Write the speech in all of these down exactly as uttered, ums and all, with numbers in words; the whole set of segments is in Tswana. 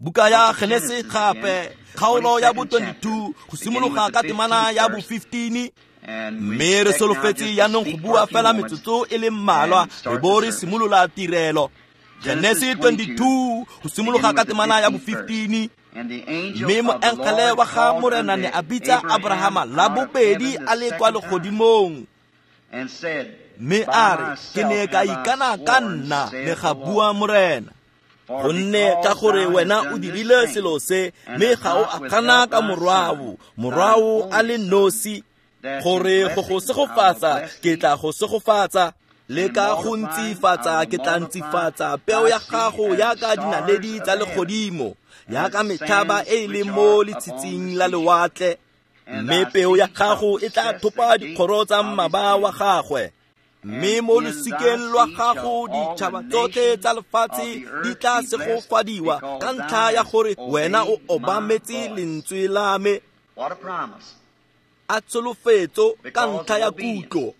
Buka ya Genese gape kgaolo ya bo twenty-two go simologa ka temana ya bo fifteen. Mme re solofetse jaanong go bua fela metsotso e le mmalwa re bo re simolola tirelo. Genese twenty-two go simologa ka temana ya bo fifteen. Mme moengele wa ga Morena ne a bitsa Abrahama la bobedi a le kwa legodimong, mme a re, ke ne ka ikana ka nna, ne ga bua Morena, gonne ka gore wena o dirile selo se, mme ga o a gana ka morwao, morwao a le nosi, gore go go segofatsa ke tla go segofatsa, le ka go ntsifatsa ke tla ntsifatsa peo ya gago yaka dinaledi tsa legodimo, yaka metlhaba e e leng mo letshitsing la lewatle, mme peo ya gago e tla thopa dikgoro tsa mmaba wa gagwe. Mme mo losikeng lwa gago ditšhaba tsotlhe tsa lefatshe di tla segofadiwa ka ntlha ya gore wena o obametse lentswe la me. A tsholofetso ka ntlha ya kutlo.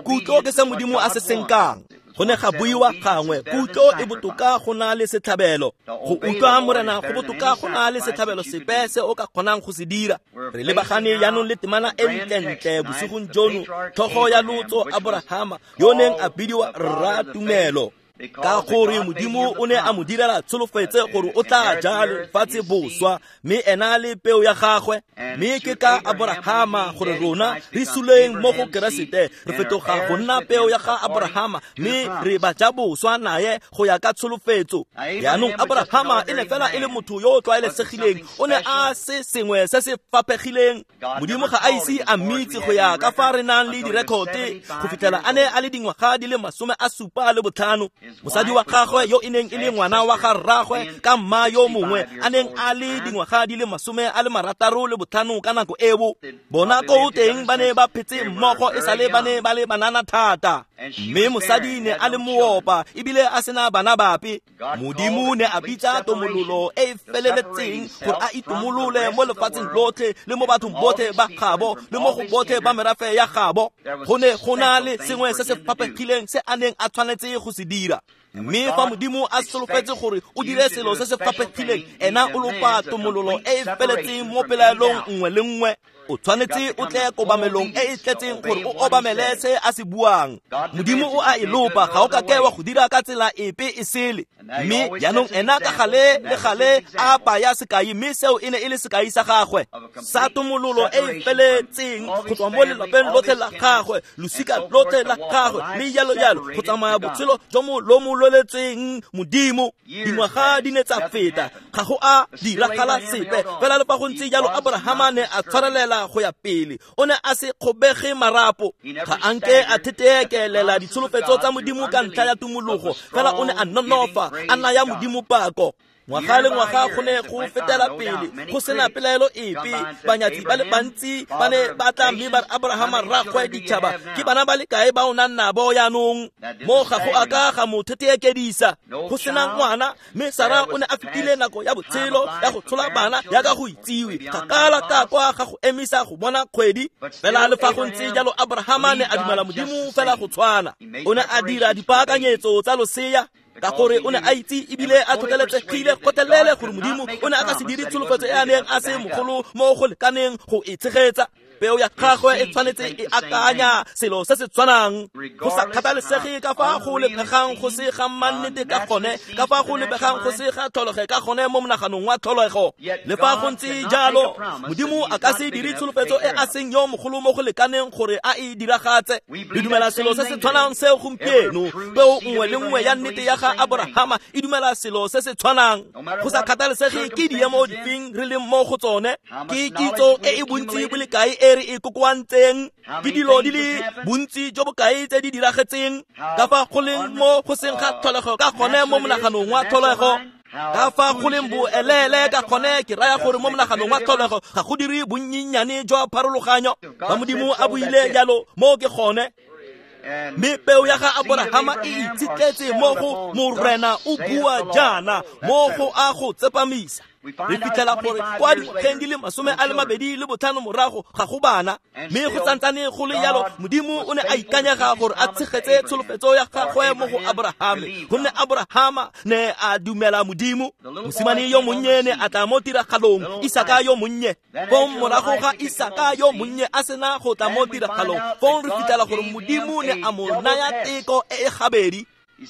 Kutlo ke se Modimo a se senkang. Go ne ga buiwa gangwe, kutlo e botoka go na le setlhabelo. Go utlwa Morena go botoka go na le setlhabelo sepe se o ka kgonang go se dira. Re lebagane jaanong le temana e ntlentle bosigong jono, tlhogo ya lotso Abrahama yo neng a bidiwa rra tumelo, ka gore Modimo o ne a mo direla tsholofetse gore o tla ja lefatshe boswa, mme ena le peo ya gagwe. Mme ke ka Abrahama gore rona re suleng mo go Keresete, re fetoga go nna peo ya ga Abrahama, mme re ba ja boswa naye go ya ka tsholofetso. Jaanong Abrahama e ne fela e le motho yo o tlwaelesegileng, o ne a se sengwe se se faphegileng. Modimo ga a ise a mmitse go ya ka fa re nang le direkote go fitlhela a ne a le dingwaga di le masome a supa le botlhano. Mosadi wa gagwe yo e neng e le ngwana wa ga rraagwe ka mma yo mongwe a neng a le dingwaga di le masome a le marataro le botlhano ka nako eo. Bona ko teng ba ne ba phetse mmogo e sale ba ne ba le banana thata, mme mosadi ne a le moopa ebile a sena bana bape. Modimo ne a bitsa tomololo e e feleletseng gore a itomolole mo lefatsheng lotlhe le mo bathong botlhe ba gabo le mo go botlhe ba merafe ya gabo. Go ne go na le sengwe se se faphegileng se a neng a tshwanetse go se dira. Mme fa Modimo a solofetse gore o dire selo se se faphegileng, ena o lopa tomololo e e feletseng mo pelaelong nngwe le nngwe. O tshwanetse o tle kobamelong e e tletseng gore o obamele se a se buang. Modimo o a e lopa, ga o ka ke wa go dira ka tsela epe e sele. Mme jaanong ena ka gale le gale a baya sekai, mme seo e ne e le sekai sa gagwe sa tomololo e e feletseng go tswa mo lelapeng lotlhe la gagwe, losika lotlhe la gagwe, mme jalo jalo go tsamaya botshelo jo mo lo mo loletseng Modimo. Dingwaga di ne tsa feta, ga go a diragala sepe. Fela le fa go ntse jalo Abrahama ne a tshwarelela go ya pele, o ne a se kgobege marapo, ga a nke a theteekelela ditsholofetso tsa Modimo ka ntlha ya tumologo, fela o ne a nonofa, a naya Modimo pako. Ngwaga le ngwaga go ne go fetela pele go sena pelaelo epe. Banyatsi ba le bantsi ba ne ba tla mme ba re, Abrahama rraagwe ditšhaba, ke bana ba le kae ba o nang nabo jaanong? Mo ga go a ka ga mo theteekedisa, go sena ngwana. Mme Sara o ne a fetile nako ya botshelo ya go tshola bana yaka go itsiwe, kgakala ka kwa ga go emisa go bona kgwedi. Fela le fa go ntse jalo Abrahama ne a dumela Modimo fela go tshwana. O ne a dira dipaakanyetso tsa losea, ka gore o ne a itse ebile a tlhotlheletsegile gotlhelele gore Modimo o ne a ka se dire tsholofetso e a neng a se mogolo mo go lekaneng go e tshegetsa. Peo ya gagwe e tshwanetse e akanya selo se se tshwanang, go sa kgathalesege ka fa go lebegang go se ga mannete ka gone, ka fa go lebegang go se ga tlholege ka gone mo monaganong wa tlholego. Le fa go ntse jalo Modimo a ka se dire tsholofetso e a seng yo mogolo mo go lekaneng gore a e diragatse. Re dumela selo se se tshwanang seo gompieno. Peo nngwe le nngwe ya nnete ya ga Abrahama e dumela selo se se tshwanang, go sa kgathalesege ke diemo difeng re leng mo go tsone, ke kitso e e bontsi bo le kae e re e kokoantseng, ke dilo di le bontsi jo bokae tse di diragetseng, ka fa go leng mo go seng ga tlholego ka gone mo monaganong wa tlholego, ka fa go leng boelele ka gone. Ke raya gore mo monaganong wa tlholego ga go dire bonnyenyane jwa pharologanyo. Fa Modimo a buile jalo, mo ke gone. Mme peo ya ga Abrahama e itshetletse mo go Morena o bua jaana, mo go a go tsepamisa. Re fitlhela gore kwa dingwageng di le masome a le mabedi le botlhano morago ga go bana, mme go santsane go le jalo Modimo o ne a ikanyega gore a tshegetse tsholofetso ya gagwe mo go Abrahame, gonne Abrahama ne a dumela Modimo. Mosimane yo monnye ne a tla mo tiragalong, Isaka yo monnye. Fong morago ga Isaka yo monnye a sena go tla mo tiragalong, fong re fitlhela gore Modimo ne a mo naya teko e e gabedi.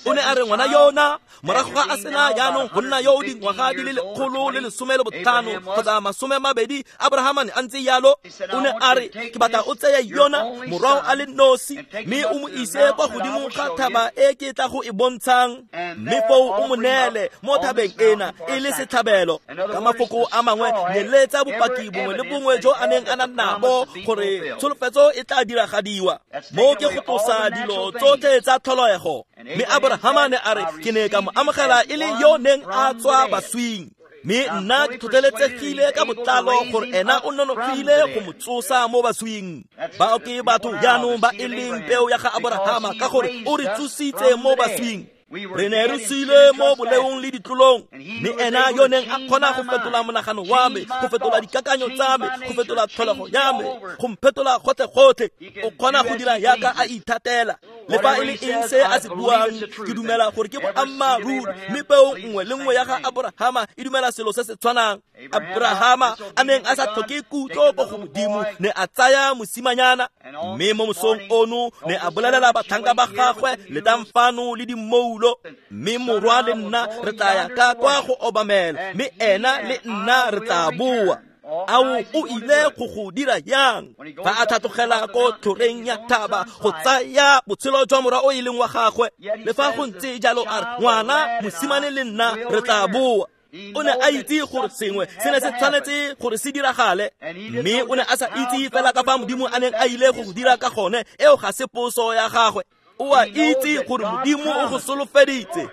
O ne a re ngwana yona morago ga a sena jaanong go nna yo o dingwaga di le lekgolo le lesome le botlhano kgotsa masome mabedi, Abrahama ne a ntse jalo. O ne a re ke batla o tseye yona morwao a le nosi mme o mo ise kwa godimo ga thaba e ke tla go e bontshang, mme foo o mo neele mo thabeng ena e le setlhabelo. Ka mafoko a mangwe, nyeletsa bopaki bongwe le bongwe jo a neng a na nabo gore tsholofetso e tla diragadiwa. Mo ke go tlosa dilo tsotlhe tsa tlholego. Mme Abrahama ne a re ke ne ka mo amogela e le yo neng a tswa baswing, mme nna ke tlhotlheletsegile ka botlalo gore ena o nonofile go mo tsosa mo baswing. Bao ke batho jaanong ba e leng peo ya ga Abrahama, ka gore o re tsositse mo baswing. Re ne re sule mo boleong le ditlolong, mme ena yo neng a kgona go fetola monagano wa me, go fetola dikakanyo tsa me, go fetola tlholego ya me, go mphetola gotlhe-gotlhe, o kgona go dira yaka a ithatela. Le fa e le eng se a se buang, ke dumela gore ke boammaaruri, mme peo nngwe le nngwe ya ga Abrahama e dumela selo se se tshwanang. Abrahama a neng a sa tlhoke kutlo ko go Modimo ne a tsaya mosimanyana, mme mo mosong ono ne a bolelela batlhanka ba gagwe, letang fano le dimmoulo, mme morwa le nna re tla ya ka kwa go obamela, mme ena le nna re tla boa. Ao o ile go go dira yang fa a tlhatlogela ko tlhoreng ya thaba go tsaya botshelo jwa morwa o e leng wa gagwe? Le fa go ntse jalo a re ngwana mosimane le nna re tla boa. O ne a itse gore sengwe se ne se tshwanetse gore se diragale, mme o ne a sa itse fela ka fa Modimo a neng a ile go go dira ka gone. Eo ga se poso ya gagwe. O a itse gore Modimo o go solofeditse.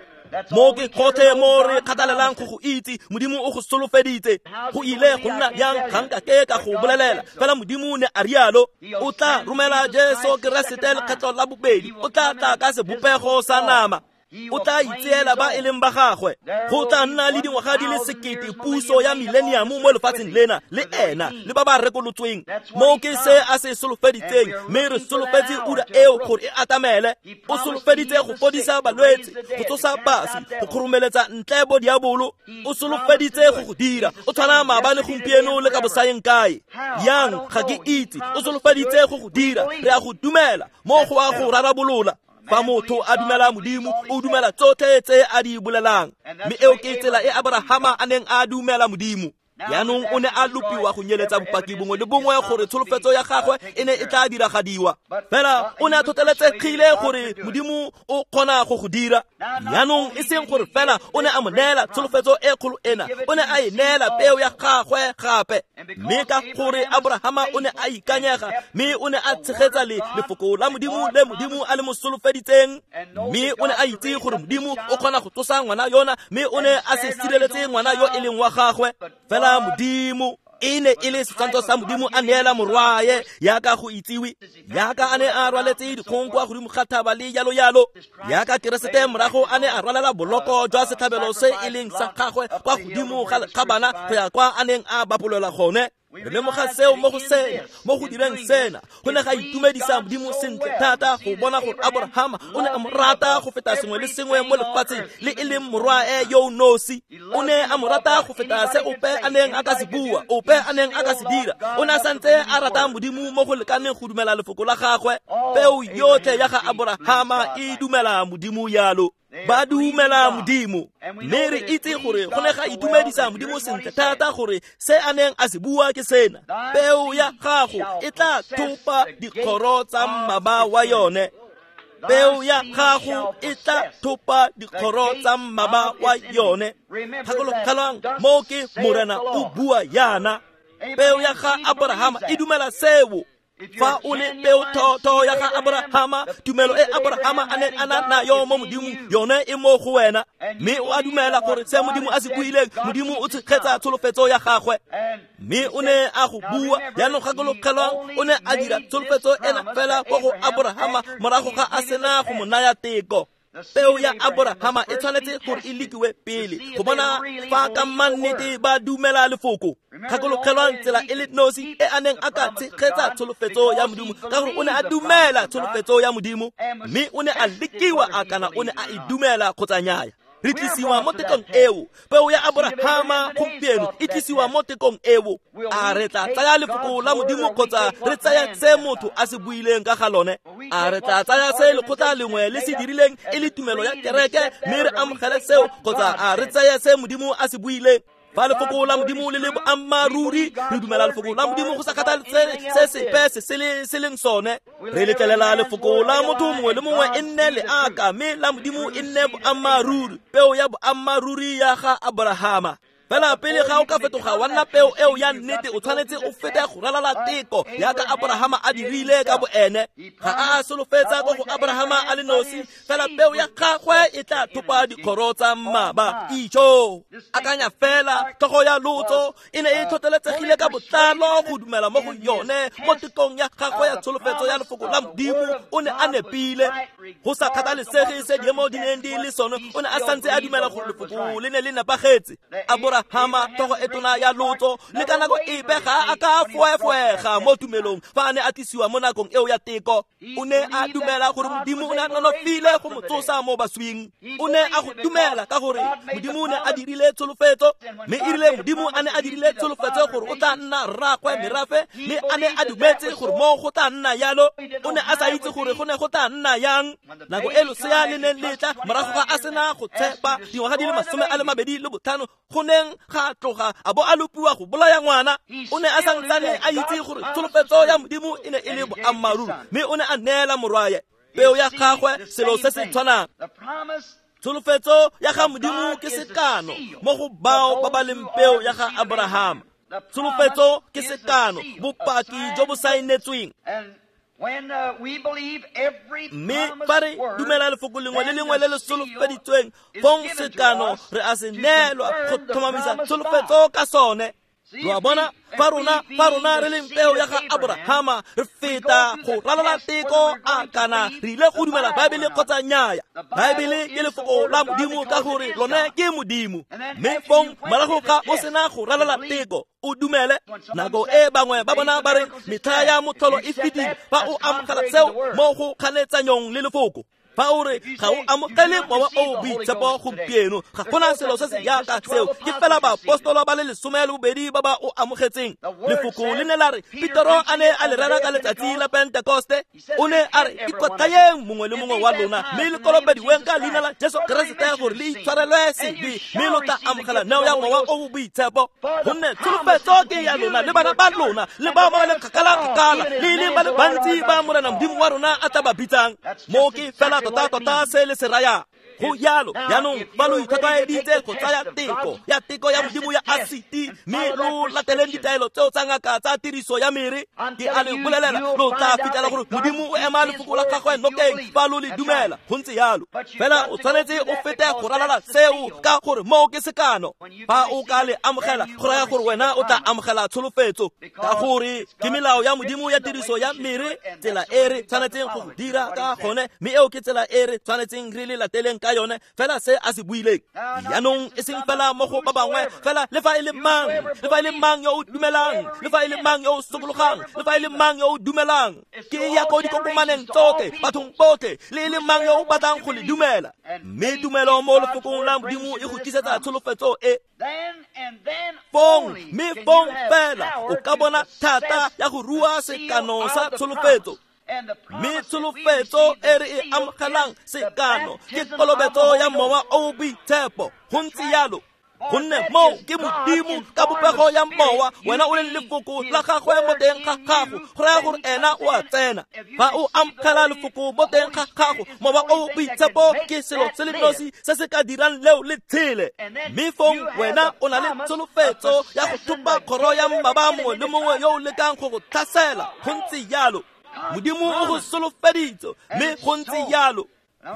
Mo ke gotlhe mo re kgathalelang go go itse, Modimo o go solofeditse. Go ile go nna yang ga nka ke ka go bolelela, fela Modimo ne a rialo. O tla romela Jesu Keresete lekgetlo la bobedi, o tla tla ka sebopego sa nama, o tla itseela ba e leng ba gagwe. Go tla nna le dingwaga di le sekete puso ya millennium mo lefatsheng lena le ena le ba ba rekolotsweng. Mo ke se a se solofeditseng, mme re solofetse ura eo gore e atamele. O solofeditse go fodisa balwetse, go tsosa baswi, go kgoromeletsa ntle bo diabolo. O solofeditse go go dira. O tshwana maabane, gompieno le ka bosayeng kae. Yang ga ke itse. O solofeditse go go dira. Re a go dumela mo go a go rarabolola. Fa motho a dumela Modimo, o dumela tsotlhe tse a di bolelang. Mme eo ke tsela e Abrahama a neng a dumela Modimo. Jaanong o ne a lopiwa go nyeletsa bopaki bongwe le bongwe gore tsholofetso ya gagwe e ne e tla diragadiwa. Fela o ne a tlhotlheletsegile gore Modimo o kgona go go dira. Jaanong e seng gore fela o ne a mo neela tsholofetso e kgolo ena, o ne a e neela peo ya gagwe gape. Mme ka gore Abrahama o ne a ikanyega, mme o ne a tshegetsa le lefoko la Modimo le Modimo a le mo solofeditseng, mme o ne a itse gore Modimo o kgona go tsosa ngwana yona, mme o ne a se sireletse ngwana yo e leng wa gagwe. Fela Modimo e ne e le setshwantsho sa Modimo a neela morwae yaka go itsiwe, yaka a ne a rwaletse dikgong kwa godimo ga thaba le jalo jalo, yaka Keresete morago a ne a rwalela boloko jwa setlhabelo se e leng sa gagwe kwa godimo ga bana go ya kwa a neng a bapolelwa gone. Re lemoga seo mo go sena, mo go direng sena, go ne ga itumedisa Modimo sentle thata go bona gore Abrahama o ne a mo rata go feta sengwe le sengwe mo lefatsheng, le e leng morwae yo o nosi. O ne a mo rata go feta se ope a neng a ka se bua, ope a neng a ka se dira. O ne a santse a rata Modimo mo go lekaneng go dumela lefoko la gagwe. Peo yotlhe ya ga Abrahama e dumela Modimo yalo. Ba dumela Modimo. Mme re itse gore go ne ga itumedisa Modimo sentle thata gore se a neng a se bua ke sena: peo ya gago e tla thopa dikgoro tsa mmaba wa yone. Peo ya gago e tla thopa dikgoro tsa mmaba wa yone. Gakologelwang, mo ke Morena o bua yana. Peo ya ga Abrahama e dumela seo. Fa o le peo thotho ya ga Abrahama, tumelo e Abrahama a neng a na nayo mo Modimong, yone e mo go wena. Mme o a dumela gore se Modimo a se buileng, Modimo o tshegetsa tsholofetso ya gagwe. Mme o ne a go bua. Jaanong gakologelwang, o ne a dira tsholofetso ena fela kwa go Abrahama morago ga a sena go mo naya teko. Peo ya Aborahama e tshwanetse gore e lekiwe pele go bona fa ka mannete ba dumela lefoko. Gakologelwang tsela e le nosi e a neng a ka tshegetsa tsholofetso ya Modimo, ka gore o ne a dumela tsholofetso ya Modimo, mme o ne a lekiwa a kana o ne a e dumela kgotsa nnyaya. Re tlisiwa mo tekong eo. Peo ya Aborahama gompieno e tlisiwa mo tekong eo. A re tla tsaya lefoko la Modimo kgotsa re tsaya se motho a se buileng ka ga lone? A re tla tsaya se lekgotla lengwe le se dirileng e le tumelo ya kereke mme re amogele seo, kgotsa a re tsaya se Modimo a se buileng? Fa lefoko la Modimo le le boammaaruri, re dumela lefoko la Modimo go sa kgathalesege se sepe se se se leng sone. Re letlelela lefoko la motho mongwe le mongwe e nne leaka, mme la Modimo e nne boammaaruri, peo ya boammaaruri ya ga Aborahama. Fela pele ga o ka fetoga wa nna peo eo ya nnete, o tshwanetse o fete go ralala teko yaka Aborahama a dirile ka boene. Ga a solofetsa ko go Aborahama a le nosi, fela peo ya gagwe e tla thopa dikgoro tsa mmaba. Ijo, akanya fela, tlhogo ya lotso e ne e tlhotlheletsegile ka botlalo go dumela mo go yone mo tekong ya gagwe ya tsholofetso ya lefoko la Modimo. O ne a nepile go sa kgathalesege se diemo di neng di le sone, o ne a santse a dumela gore lefoko le ne le nepagetse. Aborahama, tlhogo e tona ya lotso, le ka nako epe ga a ka foefoega mo tumelong fa a ne a tlisiwa mo nakong eo ya teko. O ne a dumela gore Modimo o ne a nonofile go mo tsosa mo baswing. O ne a go dumela ka gore Modimo o ne a dirile tsholofetso, mme e rile Modimo a ne a dirile tsholofetso gore o tla nna rraagwe merafe, mme a ne a dumetse gore mo go tla nna yalo. O ne a sa itse gore go ne go tla nna yang. Nako e losea le neng le tla morago ga a sena go tshepa dingwaga di le masome a le mabedi le botlhano, go neng ga tloga a bo a lopiwa go bolaya ngwana. O ne a santsane a itse gore tsholofetso ya Modimo e ne e le boammaaruri, mme o ne a neela morwaye peo ya gagwe selo se se tshwanang. Tsholofetso ya ga Modimo ke sekano mo go bao ba ba leng peo ya ga Aborahama. Tsholofetso ke sekano, bopaki jo bo saenetsweng. Mme fa re dumela lefoko lengwe le lengwe le le solofeditsweng, fong sekano re a se neelwa go tlhomamisa tsholofetso ka sone. Lo a bona, fa rona fa rona re leng peo ya ga Aborahama, re feta go ralala teko a kana re ile go dumela Baebele kgotsa nnyaya. Baebele ke lefoko la Modimo ka gore lone ke Modimo. Mme fong morago ga o sena go ralala teko, o dumele. Nako e bangwe ba bona ba re metlha ya motlholo e fetile, fa o amogela seo mo go kganetsanyong le lefoko. Fa o re ga o amogele mowa o boitshepo gompieno, ga gona selo se se yaka seo, ke fela baapostolo ba le lesome le bobedi ba ba o amogetseng. Lefoko le ne la re Petero a ne a le rera ka letsatsi la Pentekoste, o ne a re ikwatlhayeng mongwe le mongwe wa lona mme le kolobediweng ka leina la Jesu Keresete gore le itshwarelwe sebe, mme lo tla amogela neo ya mowa o boitshepo. Gonne tsholofetso ke ya lona le bana ba lona le bao ba ba leng kgakala-kgakala le e leng ba le bantsi ba Morena Modimo wa rona a tla ba bitsang. Mo ke fela tota tota se le se raya. Go yalo jaanong ba lo itlhwatlhwaeditse go tsaya teko ya teko ya Modimo ya asiti, mme lo lateleng ditaelo tseo tsa ngaka tsa tiriso ya mere. Ke a le bolelela, lo tla fitlhela gore Modimo o ema lefoko la gagwe nokeng fa lo le dumela. Go ntse yalo fela, o tshwanetse o fete go ralala seo ka gore moo ke sekano. Fa o ka le amogela, go raya gore wena o tla amogela tsholofetso, ka gore ke melao ya Modimo ya tiriso ya mere, tsela e re tshwanetseng go dira ka gone, mme eo ke tsela e re tshwanetseng re le lateleng ka yone fela se a se buileng. Jaanong e seng fela mo go ba bangwe fela, le fa e le mang, le fa e le mang yo o dumelang, le fa e le mang yo o sokologang, le fa e le mang yo o dumelang, ke ya ko dikokomaneng tsotlhe, bathong botlhe, le e le mang yo o batlang go le dumela. Mme tumelo mo lefokong la Modimo e go tlisetsa tsholofetso e. Fong, mme fong fela o ka bona thata ya go rua sekano sa tsholofetso. Mme tsholofetso e re e amogelang sekano ke kolobetso ya mowa o boitshepo. Go ntse yalo, gonne moo ke Modimo ka popego ya mowa, wena o leng lefoko la gagwe mo teng ga gago, go raya gore ena o a tsena. Fa o amogela lefoko mo teng ga gago, mowa o boitshepo ke selo se le nosi se se ka dirang leo le tshele. Mme fong wena o na le tsholofetso ya go thopa kgoro ya mmaba mongwe le mongwe yo o lekang go go tlhasela. Go ntse yalo, Modimo o go solofeditse, mme go ntse yalo.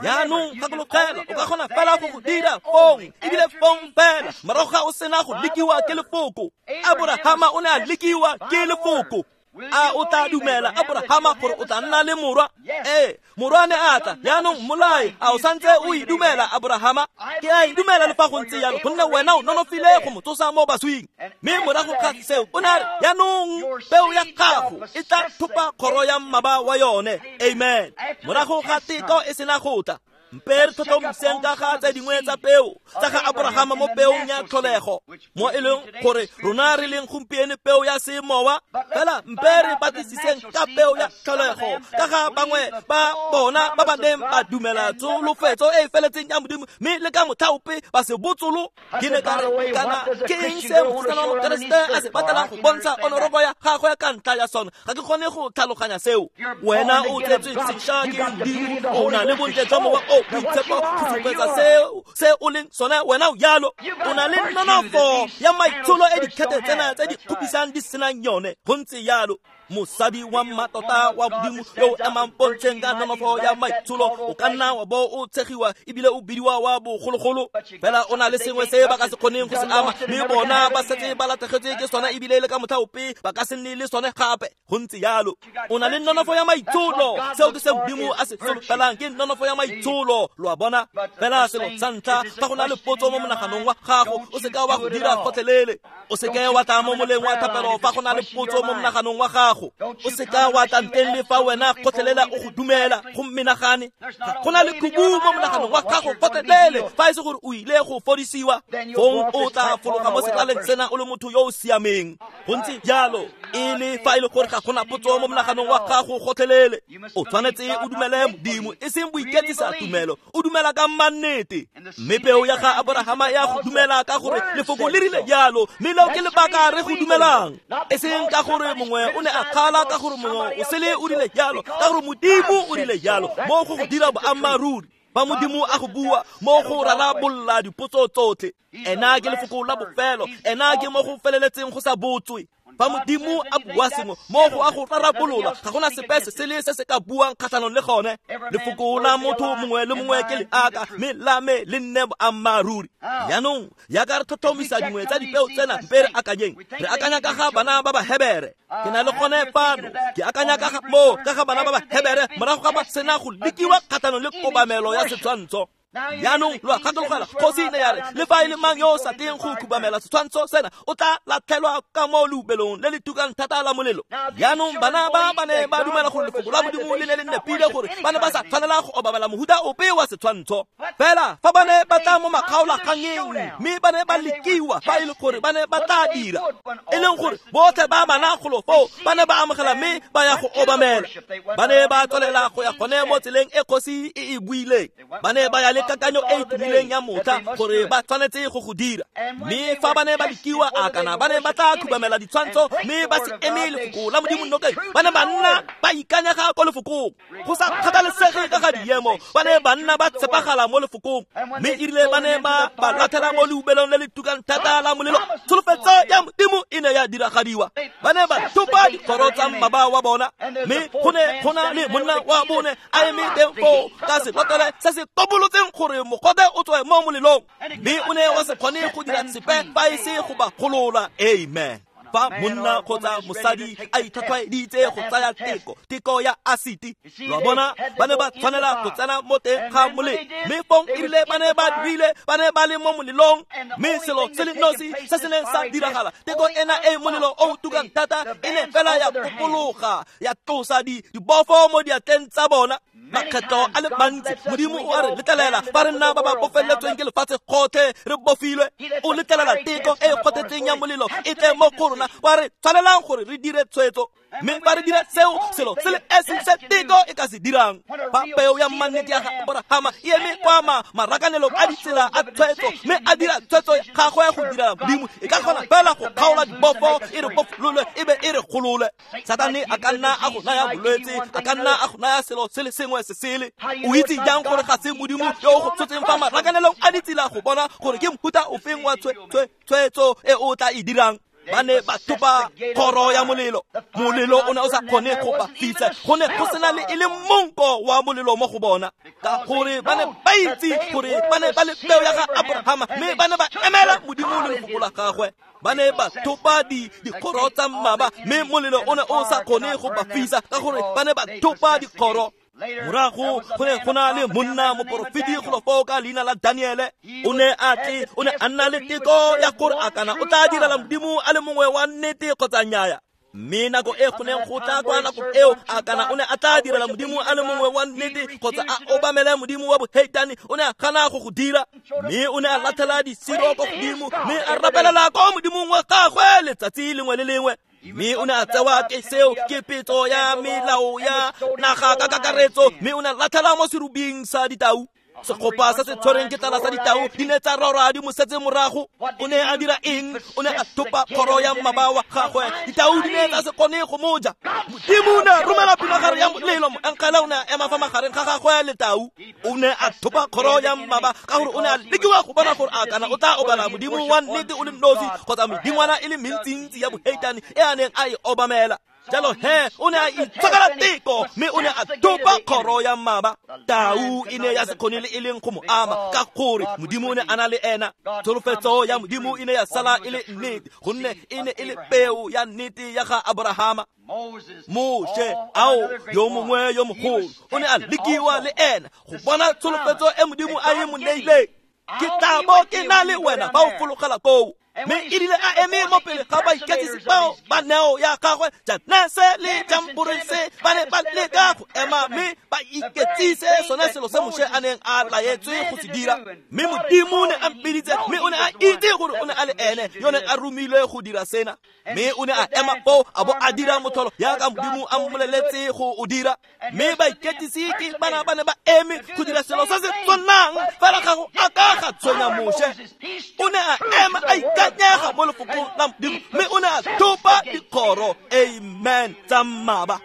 Jaanong gakologela, o ka kgona fela go go dira fong, ebile fong fela morago ga o sena go lekiwa ke lefoko. Aborahama o ne a lekiwa ke lefoko. A o tla dumela Abrahama gore o tla nna le morwa? Ee, morwa ne a tla. Jaanong mmolae, a o santse o e dumela Abrahama? Ke a e dumela le fa go ntse jalo, gonne wena o nonofile go mo tsosa mo baswing. Mme morago ga seo o ne a re, jaanong peo ya gago e tla thopa kgoro ya mmaba wa yone. Amen. Morago ga teko e sena go tla, mpe re tlhotlhomiseng ka ga tse dingwe tsa peo tsa ga Abrahama mo peong ya tlholego, mo e leng gore rona re leng gompieno peo ya semowa. Fela mpe re batlisiseng ka peo ya tlholego ka ga bangwe ba bona ba ba neng ba dumela tsholofetso e e feletseng ya Modimo, mme le ka motlha ope ba se botsolo. Ke ne ka re, kana ke eng se mosetsana wa Mokeresete a se batlang go bontsha onoroko ya gagwe ka ntlha ya sona? Ga ke kgone go tlhaloganya seo. Wena o tsetswe sešwa ke Modimo, o na le bontle jwa Mowa o Boitshepo go supetsa seo se o leng sone. Wena o jalo, o na le nonofo ya maitsholo e dikhete tsena tse di kgopisang di senang yone. Go ntse jalo. Mosadi wa mmatota wa Modimo yo o emang pontsheng ka nonofo ya maitsholo, o ka nna wa bo o tshegiwa ebile o bidiwa wa bogologolo, fela o na le sengwe se ba ka se kgoneng go se ama, mme bona ba setse ba latlhegetswe ke sona ebile le ka motlha ope ba ka se nne le sone gape. Go ntse jalo. O na le nonofo ya maitsholo. Seo ke se Modimo a se solofelang, ke nonofo ya maitsholo. Lo a bona? Fela selo sa ntlha, fa go na le potso mo monaganong wa gago, o seka wa go dira gotlhelele. O seke wa tla mo moleng wa thapelo fa go na le potso mo monaganong wa gago. O seka wa tla nteng le fa wena gotlhelela o go dumela go menagane. Ga go na le khubu mo monaganong wa gago gotlhelele, fa e se gore o ile go fodisiwa, fong o tla fologa mo sekaleng sena o le motho yo o siameng. Go ntse jalo. E le fa e le gore ga gona potso mo monaganong wa gago gotlhelele, o tshwanetse o dumele Modimo, e seng boiketsisa tumelo, o dumela ka mannete. Mme peo ya ga Abrahama ya go dumela ka gore lefoko le rile jalo, mme leo ke lebaka re go dumelang, e seng ka gore mongwe o ne a kgala, ka gore mongwe o sele o rile jalo, ka gore Modimo o rile jalo. Mo go go dira boammaaruri. Fa Modimo a go bua, mo go rarabolola dipotso tsotlhe. Ena ke lefoko la bofelo, ena ke mo go feleletseng go sa botswe. Fa Modimo a bua sengwe, mo go a go rarabolola, ga gona sepe se sele se se ka buang kgatlhanong le gone. Lefoko la motho mongwe le mongwe ke leaka, mme la me le nne boammaaruri. Jaanong jaaka re tlhotlhomisa dingwe tsa dipeo tsena, mpe re akanyeng. Re akanya ka ga bana ba Bahebere. Ke na le gone fano, ke akanya ka ga moo, ka ga bana ba Bahebere morago ga ba sena go lekiwa kgatlhanong le kobamelo ya setshwantsho. Jaanong lo a gakologelwa, kgosi ne ya re, le fa e le mang yo o sa teng go khubamela setshwantsho sena, o tla latlhelwa ka mo leubelong le le tukang thata la molelo. Jaanong bana ba ba ne ba dumela gore lefoko la Modimo le ne le nepile, gore ba ne ba sa tshwanela go obamela mohuta ope wa setshwantsho. Fela fa ba ne ba tla mo makgaolakgangeng, mme ba ne ba lekiwa fa e le gore ba ne ba tla dira, e leng gore botlhe ba bana golo foo ba ne ba amogela mme ba ya go obamela. Ba ne ba tswelela go ya gone mo tseleng e kgosi e e buileng. Ba ne ba ya le kakanyo e e tumileng ya motlha gore ba tshwanetse go go dira. Mme fa ba ne ba lekiwa, a kana ba ne ba tla khubamela ditshwantsho mme ba se eme lefoko la Modimo nokeng, ba ne ba nna ba ikanyega ko lefokong. Go sa kgathalesege ka ga diemo, ba ne ba nna ba tshepagala mo lefokong. Mme erile ba ne ba ba latlhela mo leubelong le le tukang thata la molelo, tsholofetso ya Modimo e ne ya diragadiwa. Ba ne ba thopa dikgoro tsa mmaba wa bona, mme go ne go na le monna wa bone a eme teng foo ka selotlele se se tobolotseng gore mogote o tswe mo molelong, mme o ne wa se kgone go dira sepe fa e se go ba golola. Amen. Fa monna kgotsa mosadi a itlhwatlhwaeditse go tsaya teko, teko ya asiti, lo a bona, ba ne ba tshwanela go tsena mo teng ga molelo. Mme fong erile ba ne ba dirile, ba ne ba le mo molelong, mme selo se le nosi se se neng sa diragala, teko ena e molelo o tukang thata e ne fela ya kopologa, ya tlosa dibofo mo diatleng tsa bona. Makgetlo a le mantsi Modimo o a re letlelela fa re nna ba ba bofeletsweng ke lefatshe gotlhe re bofilwe. O letlelela teko e e kgothetseng ya molelo e tle mo go rona, wa re tshwanelang gore re dire tshwetso. Mme fa re dira seo, selo se le esi se teko e ka se dirang. Fa peo ya mannete ya ga Abrahama e eme kwa marakanelong a ditsela a tshwetso, mme a dira tshwetso ya gagwe go dira Modimo, e ka kgona fela go kgaola dibofo, e re bofolole e be e re golole. Satane a ka nna a go naya bolwetse, a ka nna a go naya selo se le sengwe se sele. O itse jang gore ga se Modimo yo o go tshotseng fa marakanelong a ditsela go bona gore ke mohuta ofeng wa tshwetso e o tla e dirang? Ba ne ba thopa kgoro ya molelo. Molelo o ne o sa kgone go ba fisa, go ne go sena le e le monko wa molelo mo go bona, ka gore ba ne ba itse gore ba ne ba le peo ya ga Abrahama, mme ba ne ba emela Modimo le lefoko la gagwe. Ba ne ba thopa dikgoro tsa mmaba, mme molelo o ne o sa kgone go ba fisa, ka gore ba ne ba thopa dikgoro. Morago go ne go na le monna moporofeti golo foo ka leina la Daniele. O ne a tle, o ne a nna le teko ya gore a kana o tla direla Modimo a le mongwe wa nnete kgotsa nnyaya. Mme nako e go neng go tla kwa nako eo, a kana o ne a tla direla Modimo a le mongwe wa nnete kgotsa a obamele Modimo wa boheitane, o ne a gana go go dira. Mme o ne a latlhela disiro ko godimo, mme a rapelela ko Modimong wa gagwe letsatsi lengwe le lengwe. Mme o ne a tsewa ke seo ke petso ya melao ya naga ka kakaretso, mme o ne a latlhela mo serubing sa ditau. Segopa se se tshwereng ke tlala sa ditau di ne tsa rora di mo setse morago. O ne a dira eng? O ne a thopa kgoro ya mmaba wa gagwe. Ditau di ne tsa se kgone go mo ja. Modimo o ne a romela pinagare ya molelo, moengele o ne a ema fa magareng ga gagwe le tau. O ne a thopa kgoro ya mmaba ka gore o ne a lekiwa go bona gore a kana o tla obala Modimo wa nnete o le nosi kgotsa medingwana e le mentsintsi ya boheitane e a neng a e obamela. Jalo he, o ne a itshokela teko, mme o ne a thopa kgoro ya mmaba. Tau e ne ya se kgone le e leng go mo ama, ka gore Modimo o ne a na le ena. Tsholofetso ya Modimo e ne ya sala e le nnete, gonne e ne e le peo ya nnete ya ga Abrahama. Moshe, ao, yo mongwe yo mogolo, o ne a lekiwa le ena go bona tsholofetso e Modimo a e mo neileng. Ke tla bo ke na le wena fa o fologela koo. Mme e rile a eme mo pele ga baiketsisi bao ba neo ya gagwe, Janese le Jamborese ba ne ba leka go ema mme ba iketsise sone selo se Moshe a neng a laetswe go se dira. Mme Modimo o ne a mpiditse, mme o ne a itse gore o ne a le ene yo neng a romilwe go dira sena. Mme o ne a ema foo a bo a dira motlholo jaaka Modimo a mmoleletse go o dira. Mme baiketsisi ke bana ba ne ba eme go dira selo se se tshwanang, fela ga go a ka ga tshwenya Moshe. O ne a ema a ikanyega mo lefokong la Modimo, mme o ne a thopa dikgoro, amen, tsa mmaba.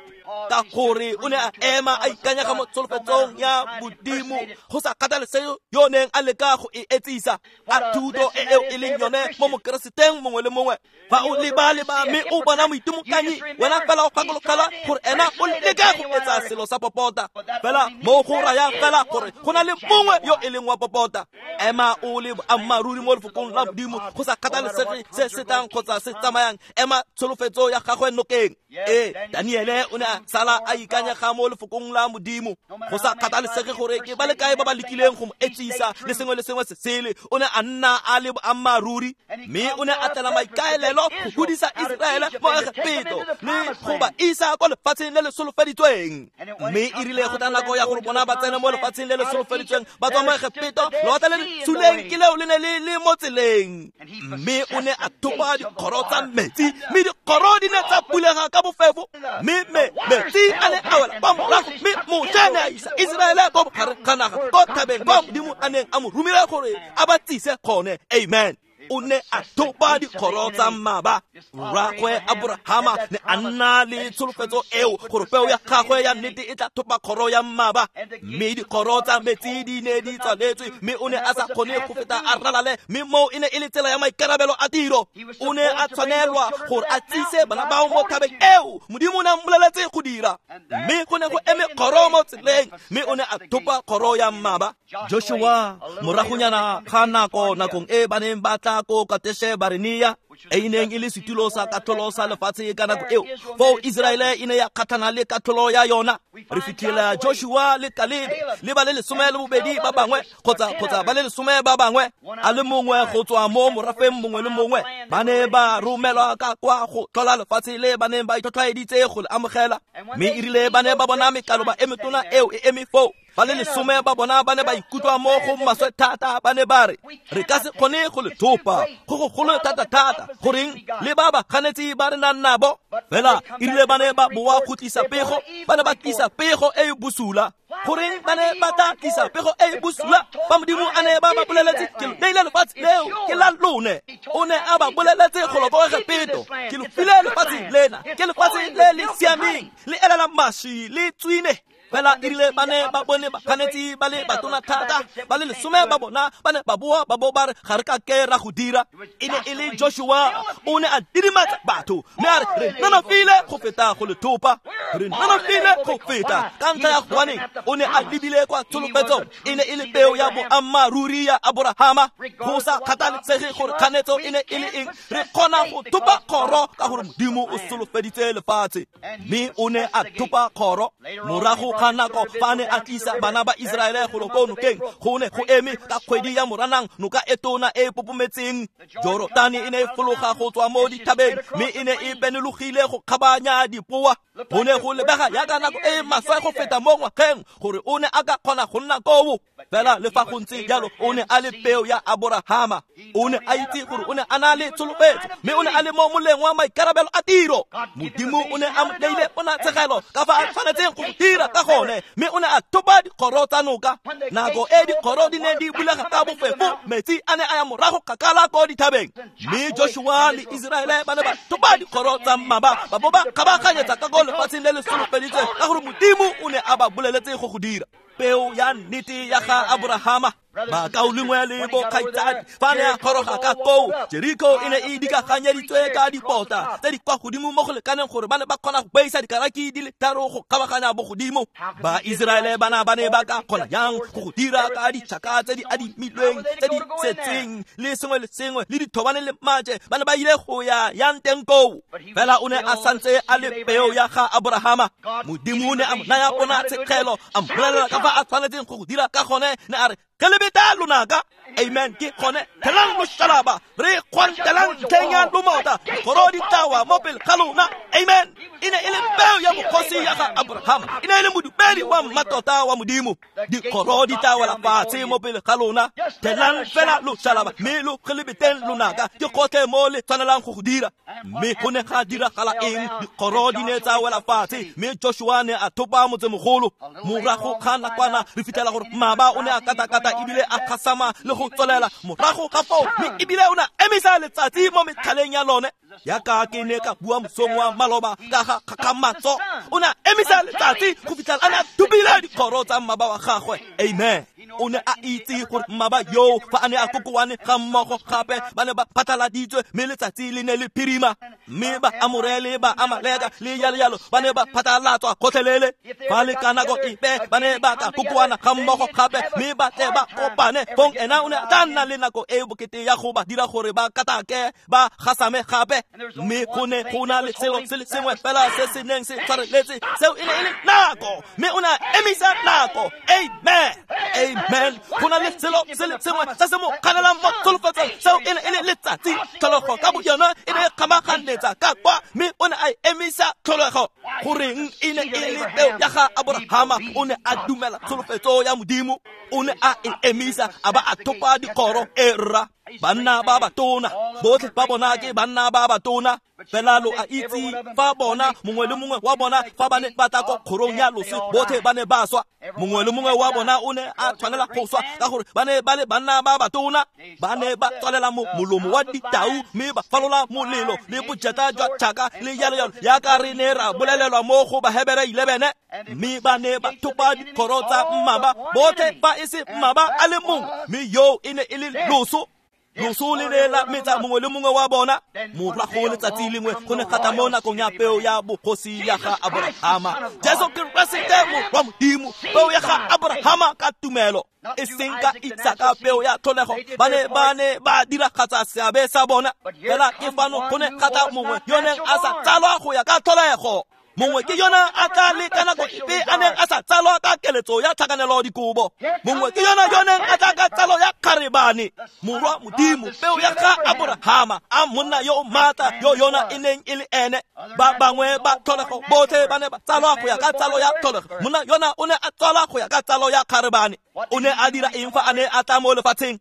Ka gore o ne a ema a ikanyega mo tsholofetsong ya Modimo, go sa kgathalesege yo neng a leka go e etsisa. A thuto e eo e leng yone mo mokereseteng mongwe le mongwe. Fa o leba-leba mme o bona moitimokanyi, wena fela o gakologelwa gore ena o leka go etsa selo sa popota. Fela mo go raya fela gore go na le mongwe yo e leng wa popota. Ema o le boammaaruri mo lefokong la Modimo, go sa kgathalesege se se tlang kgotsa se tsamayang. Ema tsholofetso ya gagwe nokeng. Ee, Daniele o ne a sala a ikanyega mo lefokong la Modimo, go sa kgathalesege gore ke ba le kae ba ba lekileng go mo etsisa le sengwe le sengwe se sele. O ne a nna a le boammaaruri, mme o ne a tlela maikaelelo go godisa Iseraele mo Egepeto le go ba isa kwa lefatsheng le le solofeditsweng. Mme e rile go tla nako ya gore bona ba tsene mo lefatsheng le le solofeditsweng, ba tswa mo Egepeto, lewatle le le suleng ke leo le ne le le mo tseleng. Mme o ne a thopa dikgoro tsa metsi, mme dikgoro di ne tsa bulega ka bofefo, mme metsi a ne a wela kwa morago, mme Moshe ne a isa Iseraele ko bogareng ga naga, ko thabeng kwa Modimo a neng a mo romile gore a ba tsise gone. Amen. O ne a thopa dikgoro tsa mmaba. Rragwe Abrahama ne a nna le tsholofetso eo gore peo ya gagwe ya nnete e tla thopa kgoro ya mmaba. Mme dikgoro tsa metsi di ne di tswaletswe, mme o ne a sa kgone go feta a ralale, mme moo e ne e le tsela ya maikarabelo a tiro. O ne a tshwanelwa gore a tsise bana bao mo thabeng eo Modimo o ne a mmoleletse go dira. Mme go ne go eme kgoro mo tseleng, mme o ne a thopa kgoro ya mmaba. Joshua, moragonyana ga nako, nakong e ba neng ba tla ko Kateshe Barnea, e neng e le setulo sa katlholo sa lefatshe ka nako eo, foo Iseraele e ne ya kgatlhana le katlholo ya yona. Re fitlhela Joshua le Kalebe le ba le lesome le bobedi ba bangwe, kgotsa kgotsa ba le lesome ba bangwe, a le mongwe go tswa mo morafeng mongwe le mongwe, ba ne ba romelwa ka kwa go tlhola lefatshe le ba neng ba itlhotlhwaeditse go le amogela. Mme e rile ba ne ba bona mekaloba e metona eo e eme foo, ba le lesome ba bona ba ne ba ikutlwa mo go maswe thata. Ba ne ba re, re ka se kgone go le thopa, go go golo thata-thata, goreng le ba ba ganetsi ba re nang nabo. Fela e rile ba ne ba boa go tlisa pego, ba ne ba tlisa pego e e bosula. Goreng ba ne ba tla tlisa pego e e bosula fa Modimo a ne ba ba boleletse, ke lo neile lefatshe leo ke la lone. O ne a ba boleletse go lo ko Egepeto, ke lo file lefatshe lena, ke lefatshe le le siameng, le elela mašwi le tswine. Fela erile ba ne ba bone bakganetsi ba le batona thata ba le lesome ba bona ba ne ba boa ba bo ba re ga re ka ke ra go dira. E ne e le Joshua o ne a didimatsa batho mme a re re nonofile go feta go le thopa, re nonofile go feta ka ntlha ya gobaneng o ne a lebile kwa tsholofetsong. E ne e le peo ya boammaaruri ya Aborahama. Go sa kgathalesege gore kganetso e ne e le eng, re kgona go thopa kgoro ka gore Modimo o solofeditse lefatshe. Mme o ne a thopa kgoro. Morago ga nako fa ne a tlisa bana ba Iseraele go ko nokeng, go ne go eme ka kgwedi ya Moranang noka e tona e popometseng. Jorotane e ne e fologa go tswa mo dithabeng mme e ne e benologile go kgabanya dipoa. Go ne go lebega jaaka nako e maswe go feta mo ngwageng gore o ne a ka kgona go nna koo. Fela le fa go ntse jalo o ne a le peo ya Aborahama. O ne a itse gore o ne a na le tsholofetso mme o ne a le mo moleng wa maikarabelo a tiro. Modimo o ne a mo neile ponatshegelo ka fa a tshwanetseng go dira ka gone, mme o ne a thopa dikgoro tsa noka. Nako e dikgoro di ne di bulega ka bofefo, metsi a ne a ya morago kgakala ko dithabeng. Mme Joshua le Iseraele ba ne ba thopa dikgoro tsa mmaba ba bo ba kgabaganyetsa ka ko lefatsheng le le solofeditsweng ka gore Modimo o ne a ba boleletse go go dira. Peo ya nnete ya ga Aborahama. Bakaulengwe le bokgaitsadi fa ne a goroga ka koo, Jeriko e ne e dikaganyeditswe ka dipota tse di kwa godimo mo go lekaneng gore ba ne ba kgona go beisa dikaraki di le tharo go kgabaganya bogodimo. Ba Iseraele bana ba ne ba ka kgona jang go go dira ka ditšhaka tse di adimilweng tse di setseng le sengwe le sengwe le dithobane le maje? Ba ne ba ile go ya yang teng koo? Fela o ne a santse a le peo ya ga Aborahama. Modimo o ne a mo naya ponatshegelo, a mmolelela ka fa a tshwanetseng go go dira ka gone. Ne a re ke lebeta lonaka. Amen. Ke gone thelang loshalaba re kgwantelang ntlheng ya lomota kgoro di tlawa mo pele ga lona. Amen. E ne e le peo ya bogosi ya ga Aborahama, e ne e le modumedi wa mmatota wa Modimo. Dikgoro di tla wela fatshe mo pele ga lona. Thelang fela loshalaba mme lo gelebeteng lonaka, ke gotlhe mo le tshwanelang go go dira. Mme go ne ga diragala eng? Dikgoro di ne tsa wela fatshe mme Joshua ne a thopa motsemogolo. Morago ga nakwana re fitlhela gore mmaba o ne a katakata ebile a gasama le go tswelela morago ga foo, mme ebile o ne a emisa letsatsi mo metlhaleng ya lone. Yaka ke ne ka bua mosong wa maloba ka ga kgakgamatso, o ne a emisa letsatsi go fitlhela a ne a thopile dikgoro tsa mmaba wa gagwe. Amen. O ne a itse gore mmaba yoo fa a ne a kokoane ga mmogo gape ba ne ba phatlaladitswe mme letsatsi le ne le phirima, mme ba Amore le ba Amaleka le jalo jalo ba ne ba phatlalatswa gotlhelele. Fa le ka nako epe ba ne ba ka kokoana ga mmogo gape mme ba tle ba kopane, fong ena o ne a tla nna le nako e bokete ya go ba dira gore ba katake ba gasame gape. Mme go ne go na le selo se le sengwe fela se se neng se tshwareletse, seo e ne e le nako, mme o ne a emisa nako. Amen. Amen. Go na le selo se le sengwe se se mo kganelang mo tsholofetsong, seo e ne e le letsatsi. Tlholego ka boyona e ne e kgamaganetsa ka kwa, mme o ne a emisa tlholego. Goreng e ne e le peo ya ga Aborahama? O ne a dumela tsholofetso ya Modimo, o ne a e emisa a ba a thopa dikgoro. E rra, banna ba batona botlhe ba bona ke banna ba batona. Fela lo a itse fa bona mongwe le mongwe wa bona fa ba ne ba tla ko kgorong ya loso, botlhe ba ne ba swa. Mongwe le mongwe wa bona o ne a tshwanela go swa ka gore ba ne ba le banna ba batona. Ba ne ba tswalela mo molomo wa ditau mme ba falola molelo le bojeta jwa tšhaka le jalo jalo, yaka re ne ra bolelelwa mo go Bahebere eleven. Mme ba ne ba thopa dikgoro tsa mmaba botlhe fa e se mmaba a le mongwe, mme yoo e ne e le loso. Loso le ne la metsa mongwe le mongwe wa bona. Morago letsatsi lengwe go ne ga tla mo nakong ya peo ya bogosi ya ga Aborahama, Jesu Keresete morwa Modimo, peo ya ga Aborahama ka tumelo, e seng ka Isaka peo ya tlholego. Ba ne ba ne ba diragatsa seabe sa bona. Fela ke fano go ne ga tla mongwe yo neng a sa tsalwa go ya ka tlholego. Mongwe ke yona a tla le ka nako epe a neng a sa tsalwa ka keletso ya tlhakanelo dikobo. Mongwe ke yona yo neng a tla ka tsalo ya kgarebane, morwa Modimo, peo ya ga Aborahama, a monna yo o maatla yo yona e neng e le ene. Ba bangwe ba tlholego botlhe ba ne ba tsalwa go ya ka tsalo ya tlholego. Monna yona o ne a tsalwa go ya ka tsalo ya kgarebane. O ne a dira eng fa a ne a tla mo lefatsheng?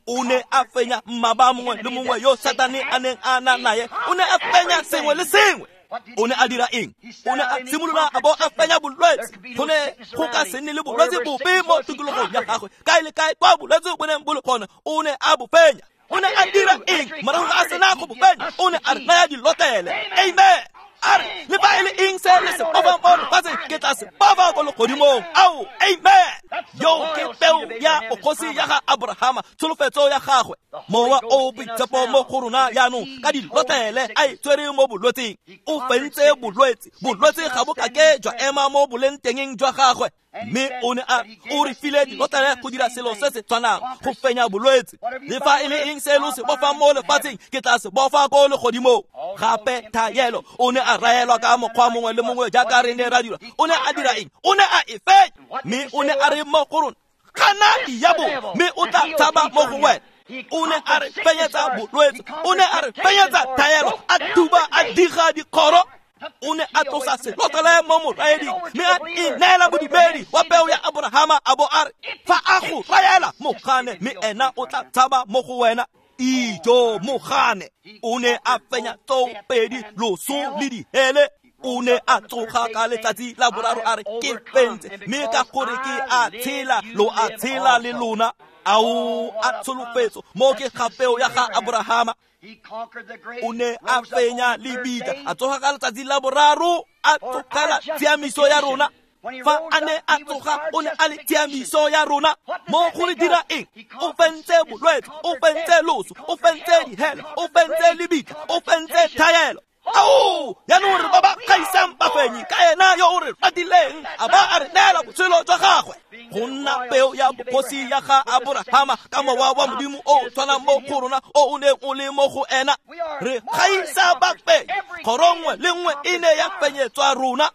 O ne a fenya mmaba mongwe le mongwe yo Satane a neng a na naye. O ne a fenya sengwe le sengwe. O ne a dira eng? O ne a simolola a bo a fenya bolwetse. Go ne go ka se nne le bolwetse bope mo tikologong ya gagwe. Kae le kae kwa bolwetse bo neng bo le gone, o ne a bo fenya. O ne a dira eng? Morago ga a sena go bo fenya, o ne a re naya dilotlele. Amen. A re le fa e le eng se le se bofang mo lefatsheng ke tla se bofa ko legodimong. Ao, amen. Yo ke peo ya bogosi ya ga Abrahama, tsholofetso ya gagwe. Mowa o boitshepo mo go rona jaanong ka dilotlele a e tswere mo bolwetseng. O fentse bolwetse, bolwetse ga bo kake jwa ema mo bolengtengeng jwa gagwe. Mme o ne a o re file dilotlele go dira selo se se tshwanang go fenya bolwetse. Le fa e le eng se lo se bofang mo lefatsheng ke tla se bofa ko legodimong. Gape thaelo o ne a raelwa ka mokgwa mongwe le mongwe jaaka re ne ra dira. O ne a dira eng? O ne a e fenya. Mme o ne a re mo go rona, gana diabo mme o tla tshaba mo go wena. O ne a re fenyetsa bolwetse, o ne a re fenyetsa thaelo, a thuba a diga dikgoro. O ne a tlosa selotlele mo moraeding mme a ineela bodumedi wa peo ya Abrahama, a bo a re fa a go raela mogane mme ena o tla tshaba mo go wena. Ijo mogane. O ne a fenya tsopedi loso le dihele. O ne a tsoga ka letsatsi la boraro a re ke fentse, mme ka gore ke a tshela lo a tshela le lona. Ao a tsholofetso mo ke ga peo ya ga Abrahama. O ne a fenya lebitla, a tsoga ka letsatsi la boraro, a tsogela tshiamiso ya rona. Fa a ne a tsoga o ne a le tshiamiso ya rona. Mo go re dira eng? O fentse bolwetse, o fentse loso, o fentse dihele, o fentse lebitla, o fentse thaelo. Ao, jaanong re ba ba gaisang bafenyi ka ena yo o re ratileng a ba a re neela botshelo jwa gagwe. Go nna peo ya bogosi ya ga Abrahama ka mowa wa Modimo o tshwanang mo go rona o o neng o le mo go ena. Re gaisa bafenyi, kgoro nngwe le nngwe e ne ya fenyetswa rona.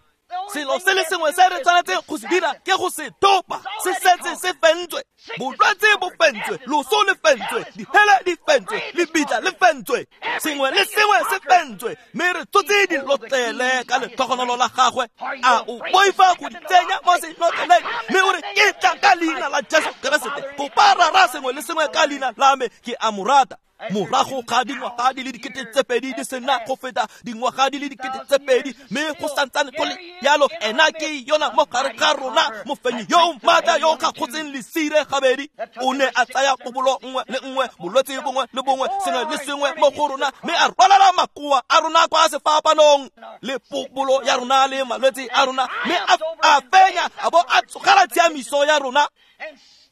Selo se le sengwe se re tshwanetseng go se dira ke go se topa, se setse se fentswe. Bolwetse bo fentswe, loso le fentswe, dihele di fentswe, lebitla le fentswe, sengwe le sengwe se fentswe. Mme re tsotse dilotlele ka letlhogonolo la gagwe. A o boifa go di tsenya mo selotleleng mme o re ke tla ka leina la Jesu Keresete, kopa rara sengwe le sengwe ka leina la me, ke a mo rata. Morago ga dingwaga di le dikete tse pedi di sena go feta dingwaga di le dikete tse pedi, mme go santsane go le jalo ena ke yona mo gare ga rona, mofenyi yo maatla yo kgagotseng lesire gabedi. O ne a tsaya pobolo nngwe le nngwe, bolwetse bongwe le bongwe, sengwe le sengwe mo go rona, mme a rwalela makoa a rona kwa sefapanong le pobolo ya rona le malwetse a rona, mme a fenya a bo a tsogela tshiamiso ya rona.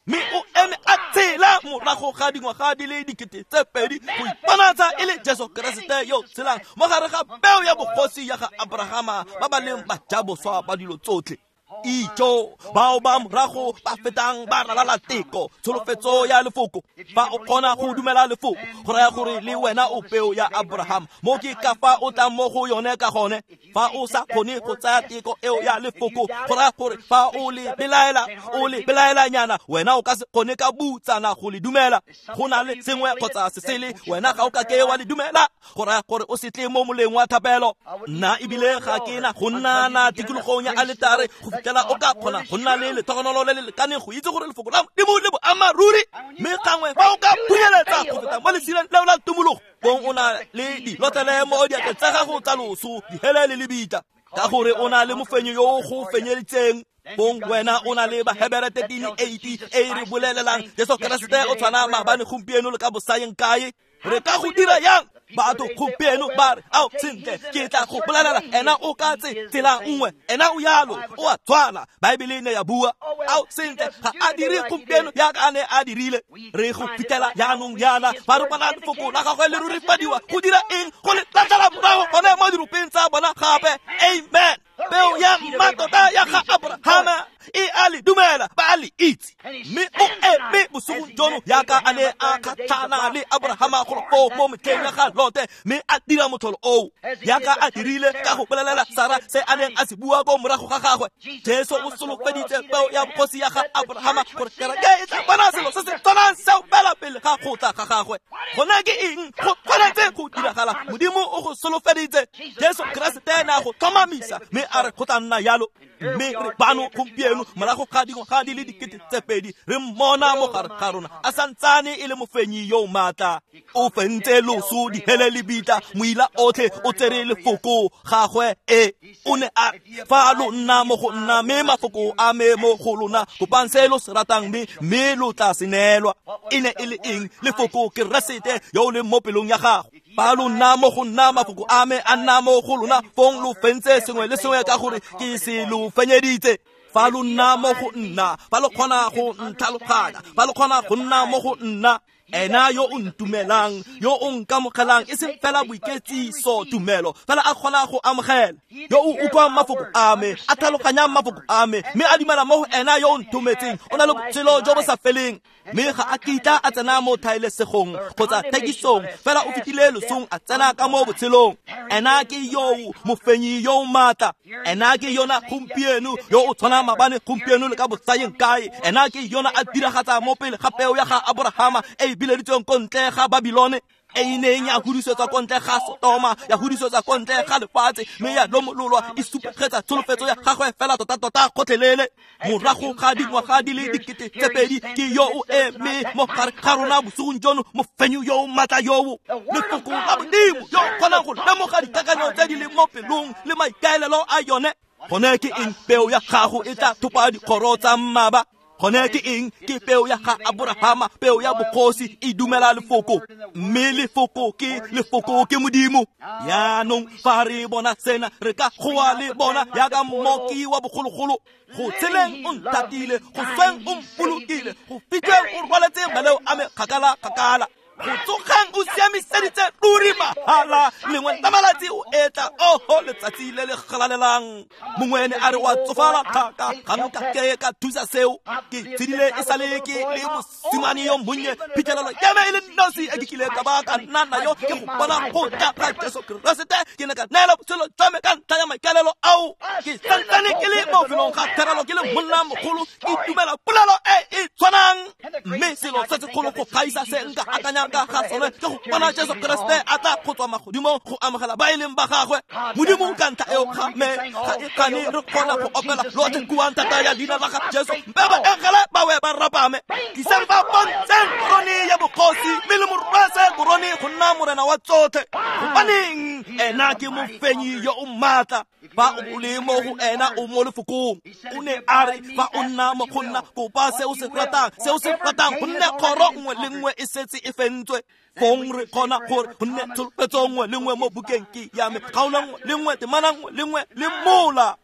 Mme o eme a tshela morago ga dingwaga di le dikete tse pedi go iponatsa e le Jesu Keresete yo tshelang mo gare ga peo ya bogosi ya ga Abrahama ba ba leng bajaboswa ba dilo tsotlhe. Ijo bao ba morago ba fetang ba ralala teko tsholofetso ya lefoko. Fa o kgona go dumela lefoko go raya gore le wena o peo ya Abraham. Mo ke ka fa o tlang mo go yone ka gone. Fa o sa kgone go tsaya teko eo ya lefoko go raya gore fa o le belaela, o le belaelanyana, wena o ka se kgone ka butsana go le dumela. Go na le sengwe kgotsa se sele, wena ga o ka ke wa le dumela, go raya gore o se tle mo moleng wa thapelo. Nna ebile ga ke na go nna na tikologong ya aletare go fitlhela o ka kgona go nna le letlhogonolo le le lekaneng go itse gore lefoko la Modimo le boammaaruri. Mme gangwe fa o ka phunyeletsa go feta mo lesireng leo la tumologo, bong o na le dilotlele mo diatleng tsa gago tsa loso, dihele le lebitla, ka gore o na le mofenyi yo o go fenyeditseng. Bong wena o na le Bahebere thirteen eighty e re bolelelang Jesu Keresete o tshwana maabane, gompieno le ka bosayeng kae. Re ka go dira yang? Batho gompieno ba re ao sentle ke tla go bolelela ena o ka tse tsela nngwe, ena o yalo o a tshwana, Baebele ne ya bua. Ao sentle ga a dire gompieno jaaka a ne a dirile. Re go fitlhela jaanong jaana ba re bona lefoko la gagwe le rurifadiwa go dira eng? Go le tlatlela morago gone mo diropeng tsa bona gape. Amen. Peo ya mmatota ya ga Abrahama e a le dumela, ba a le itse. Mme o eme bosigong jono jaaka a ne a kgatlhana le Abrahama golo foo mo metlheng ya ga Lote, mme a dira motlholo oo jaaka a dirile ka go bolelela Sara se a neng a se bua ko morago ga gagwe. Jesu o solofeditse peo ya bogosi ya ga Abrahama gore kereke e tla bona selo se se tshwanang seo fela pele ga go tla ga gagwe. Gona ke eng? Go tshwanetse go diragala. Modimo o go solofeditse. Jesu Keresete ne a go tlhomamisa mme a re go tla nna yalo. Mme re bano gompieno morago ga dingwaga di le dikete tse pedi re mmona mo gare ga rona a santsane e le mofenyi yo maatla. O fentse loso, dihele le lebitla, moila otlhe o tsere lefoko gagwe. E o ne a fa lo nna mo go nna mme mafoko a me mo go lona, kopang se lo se ratang mme mme lo tla se neelwa. E ne e le eng? Lefoko Keresete yo o leng mo pelong ya gago. Fa lo nna mo go nna, mafoko a me a nna mo go lona, fong lo fentse sengwe le sengwe ka gore ke se lo fenyeditse. Fa lo nna mo go nna, fa lo kgona go ntlhaloganya, fa lo kgona go nna mo go nna, ena yo o ntumelang, yo o nkamogelang, e seng fela boiketsiso tumelo, fela a kgona go amogela. Yo o utlwang mafoko a me, a tlhaloganyang mafoko a me, mme a dumela mo go ena yo o nthometseng, o na le botshelo jo bo sa feleng. Mme ga a kitla a tsena mo thaelesegong kgotsa thekisong, fela o fetile losong a tsena ka mo botshelong. Ena ke yo mofenyi yo o maatla, ena ke yona gompieno yo o tshwanang maabane, gompieno le ka botsayeng kae. Ena ke yona a diragatsa mo pele ga peo ya ga Aborahama e e bileditsweng ko ntle ga Babilone, e e neng ya hudisetswa ko ntle ga Sotoma, ya hudisetswa ko ntle ga lefatshe, mme ya lomololwa e supegetsa tsholofetso ya gagwe fela tota-tota gotlhelele. Morago ga dingwaga di le dikete tse pedi, ke yo o eme mo gare ga rona bosigong jono, mofenyi yo o maatla yoo, lefoko la Modimo yo o kgonang go lemoga dikakanyo tse di leng mo pelong le maikaelelo a yone. Gone ke eng? Peo ya gago e tla thopa dikgoro tsa mmaba. Gone ke eng? Ke peo ya ga Aborahama, peo ya bogosi e dumela lefoko, mme lefoko ke lefoko ke Modimo. Yaanong fa re bona sena, re ka goa le bona yaka mmoki wa bogologolo: go tsheleng o nthatile, go sweng o mpolokile, go fitlheng o rwaletse maleo a me kgakala kgakala, go tsogang o siamiseditse ruri mahala, lengwe la malatsi o etla, oho letsatsi le le galalelang. Mongwe ene a re wa tsofala thaka, ga nka ke ka thusa seo, ke tshedile e sale ke le mosimane yo monnye, phitlhelelo ya me e le nosi e ke kile ka ba ka nna nayo ke go bona go tla ga Jesu Keresete. Ke ne ka neela botshelo jwa me ka ntlha ya maikaelelo ao. Ke santsane ke le mo felong ga therelo ke le monna mogolo, ke itumela polelo e e tshwanang. Mme selo se segolo go gaisa se nka akanyang ka ga sone ke go bona Jesu Keresete a tla go tswa magodimong go amogela ba e leng ba gagwe. Modimo ka ntlha eo ga me ga e kgane re kgona go opela lotlhe kuang thata ya leina la ga Jesu, mme baengele ba we ba rapame. Tlisang ba bontseng korone ya bogosi, mme le mo rwese korone go nna morena wa tsotlhe. Gobaneng? Ena ke mofenyi yo o maatla. Fa o le mo go ena o mo lefokong. O ne a re fa o nna mo go nna, kopa se o se ratang, se o se ratang, gonne kgoro nngwe le nngwe e setse e fentswe. Fong re kgona gore gonne tsholofetso nngwe le nngwe mo bukeng ke ya me, kgaolo nngwe le nngwe, temana nngwe le nngwe le mola.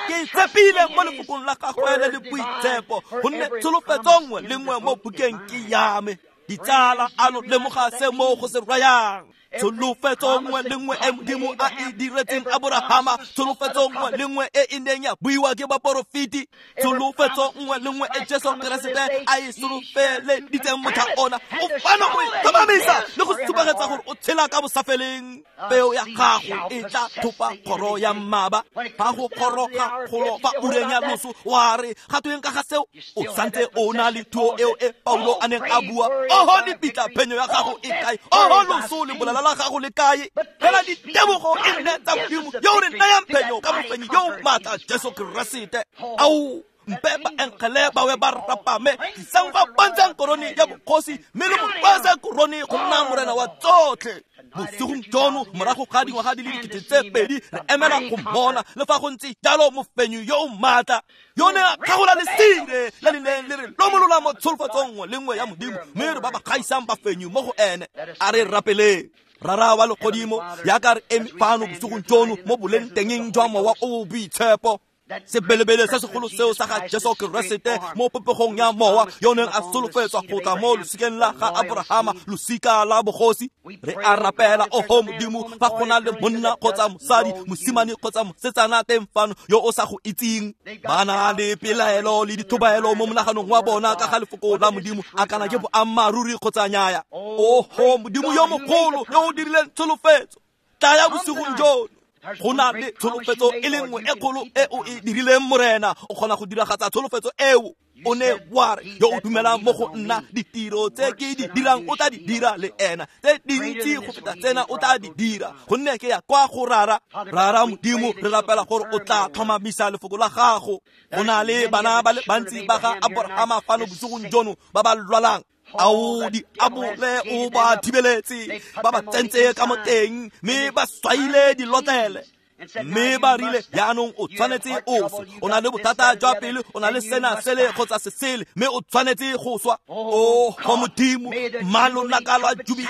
Ke tshepile mo lefokong la gagwe le le boitshepo, gonne tsholofetso nngwe le nngwe mo bukeng ke ya me. Ditsala, a lo lemoga se mo go se rayang? Tsholofetso nngwe le nngwe e Modimo a e diretseng Aborahama, tsholofetso nngwe le nngwe e e neng ya buiwa ke baporofeti, tsholofetso nngwe le nngwe e Jesu Keresete a e solofeleditseng motlha ona, o fano go e tlhomamisa le go supegetsa gore o tshela ka bosafeleng. Peo ya gago e tla thopa kgoro ya mmaba. Fa go kgoroga kgolo fa ureng ya loso, wa re ga tweng ka ga seo? O santse o na le thuo eo e Paulo a neng a bua: oho lebitla, phenyo ya gago e kae? Oho loso, lebolala la gago le kae? Fela ditebogo e nne tsa Modimo yo o re nayang phenyo ka mofenyi yo o maatla Jesu Keresete. Ao mpe baengele ba we ba rapame, tlisang ba bontsang korone ya bogosi, mme le mo rwese korone go nna morena wa tsotlhe. Bosigong jono, morago ga dingwaga di le dikete tse pedi, re emela go mmona le fa go ntse jalo mofenyi yo o maatla, yo ne a kgagola lesire le le neng le re lomolola mo tsholofatsong nngwe le nngwe ya Modimo, mme re ba ba gaisang bafenyi mo go ene. A re rapeleng. Rara wa legodimo, yaka re eme fano bosigong jono mo boleng tengeng jwa Mowa o o Boitshepo, sebelebele se segolo seo sa ga Jesu Keresete mo popegong ya mowa yo neng a solofetswa go tla mo losikeng la ga Aborahama, losika la bogosi. Re a rapela, oho Modimo, fa go na le monna kgotsa mosadi, mosimane kgotsa mosetsana teng fano yo o sa go itseng, ba na le pelaelo le dithobaelo mo monaganong wa bona ka ga lefoko la Modimo, a kana ke boammaaruri kgotsa nnyaya. Oho Modimo yo mogolo yo o dirileng tsholofetso, tlaya bosigong jono. Go na le tsholofetso e le nngwe e kgolo e o e dirileng Morena, o kgona go diragatsa tsholofetso eo. O ne wa re yo o dumelang mo go nna, ditiro tse ke di dirang o tla di dira le ena, tse dintsi go feta tsena o tla di dira, gonne ke ya kwa go Rara. Rara Modimo, re rapela gore o tla tlhomamisa lefoko la gago. Go na le bana ba le bantsi ba ga Aborahama fano bosigong jono ba ba lwalang. Ao diabole o ba thibeletse, ba ba tsentse ka mo teng, mme ba swaile dilotlele. Mme ba rile jaanong o tshwanetse o swe, o na le bothata jwa pelo, o na le sena sele kgotsa se sele, mme o tshwanetse go swa. O go Modimo, mma lonaka lwa jubile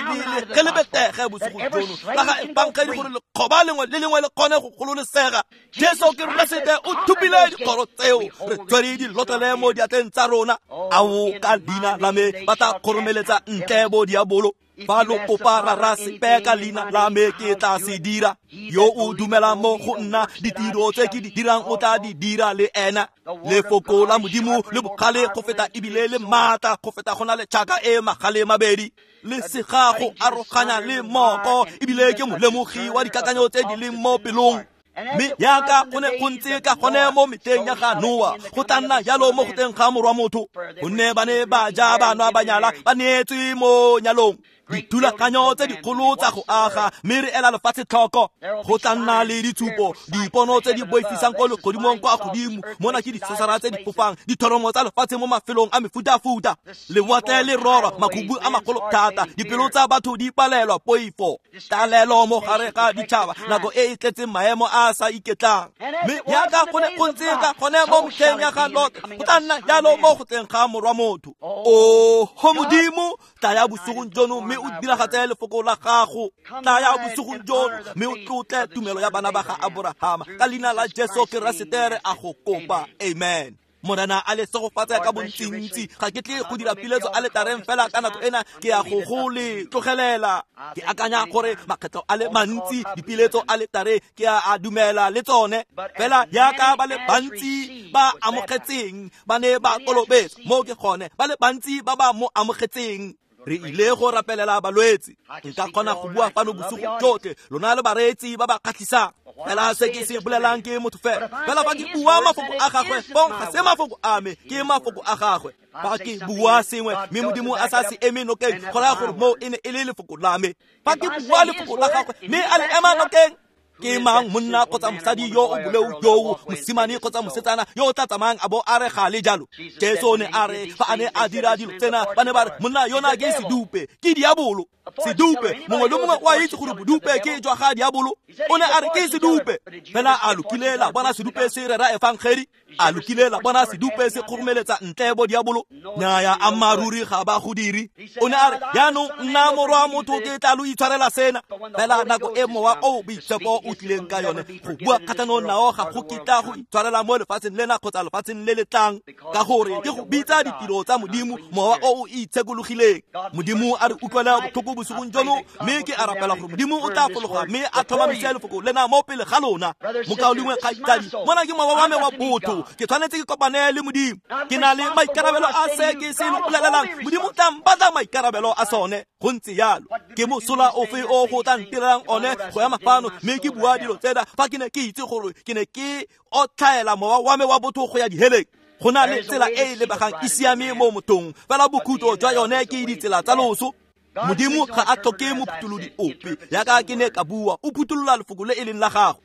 ge le betege bosigo jono la ga efangedi gore lekgoba lengwe le lengwe le kgone go gololesega. Jesu Keresete o thupile dikgoro tseo, re tswere dilotlele mo diatleng tsa rona. Ao ka leina la me ba tla kgoromeletsa ntle bo diabolo. Fa lo kopa rara sepe ka leina la me ke tla se dira. Yo o dumelang mo go nna, ditiro tse ke di dirang o tla di dira le ena. Lefoko la Modimo le bogale go feta ebile le maatla go feta go na le tšhaka e magale mabedi, le sega go aroganya le moko, ebile ke molemogi wa dikakanyo tse di leng mo pelong. Mme yaka go ne go ntse ka gone mo metlheng ya ga Noa, go tla nna jalo mo go teng ga morwa motho. Gonne ba ne ba ja, ba nwa, ba nyala, ba neetswe mo nyalong. Dithulaganyo tse dikgolo tsa go aga, mme re ela lefatshe tlhoko. Go tla nna le ditshupo, dipono tse di boifisang ko legodimong kwa godimo. Mona ke disosara tse di fofang, dithoromo tsa lefatshe mo mafelong a mefutafuta, lewatle le rora, makhubu a magolo thata, dipelo tsa batho di palelwa poifo, tlalelo mo gare ga ditšhaba, nako e e tletseng maemo a a sa iketlang. Mme yaka go ne go ntse ka gone mo metlheng ya ga Lot, go tla nna jalo mo go tleng ga morwa motho. O go Modimo, tlaya bosigong jono mme o diragatse lefoko la gago. Tlaya bosigong jono mme o tlotle tumelo ya bana ba ga Aborahama. Ka leina la Jesu Keresete re a go kopa, amen. Morena a le segofatse ka bontsintsi. Ga ke tle go dira piletso a letareng fela ka nako ena, ke ya go go le tlogelela. Ke akanya gore makgetlo a le mantsi dipiletso a letare ke a a dumela le tsone. Fela yaka ba le bantsi ba amogetseng ba ne ba kolobetswa, mo ke gone ba le bantsi ba ba mo amogetseng. Re ile go rapelela balwetse. Nka kgona go bua fano bosigo jotlhe, lona le bareetsi ba ba kgatlhisang. Fela se ke se bolelang ke motho fela. Fela fa ke bua mafoko a gagwe, fong ga se mafoko a me, ke mafoko a gagwe. Fa ke bua sengwe mme Modimo a sa se eme nokeng, go raya gore moo e ne e le lefoko la me. Fa ke bua lefoko la gagwe mme a le ema nokeng, ke mang monna kgotsa mosadi yo o boleu yoo, mosimane kgotsa mosetsana yo o tla tsamayang a bo a re ga le jalo? Jesu ne a re fa a ne a dira dilo tsena, ba ne ba re monna yona ke sedupe, ke diabolo. Sedupe, mongwe le mongwe o a itse gore bodupe ke jwa ga diabolo. O ne a re ke sedupe. Fela a lokile la bona sedupe se rera efangedi? A lokile la bona sedupe se kgoromeletsa ntle bo diabolo? Nnyaya, ammaaruri ga ba go dire. O ne a re jaanong nna morwa motho ke tla lo itshwarela sena. Fela nako e mowa o boitshepo o tlileng ka yone go bua kgatlhanong nao ga go kitla go itshwarela mo lefatsheng lena kgotsa lefatsheng le le tlang, ka gore ke go bitsa ditiro tsa Modimo mowa o o itshekologileng. Modimo a re utlwela botlhoko bosigong jono, mme ke a rapela gore Modimo o tla fologa mme a tlhomamise lefoko lena mo pele ga lona. Mokaulengwe kgaitsadi, mona ke mowa wa me wa botho, ke tshwanetse ke kopane le Modimo. Ke na le maikarabelo a se ke se lo bolelelang. Modimo o tla mpatla maikarabelo a sone. Go ntse jalo. Ke mosola ofe o go tla ntirelang one go ema fano mme ke bua dilo tsena fa ke ne ke itse gore ke ne ke otlhaela mowa wa me wa botho go ya diheleng? Go na le tsela e e lebegang e siame mo mothong, fela bokhutlo jwa yone ke ditsela tsa loso. Modimo ga a tlhoke mophutholodi ope, yaka ke ne ka bua, o phutolola lefoko le e leng la gago.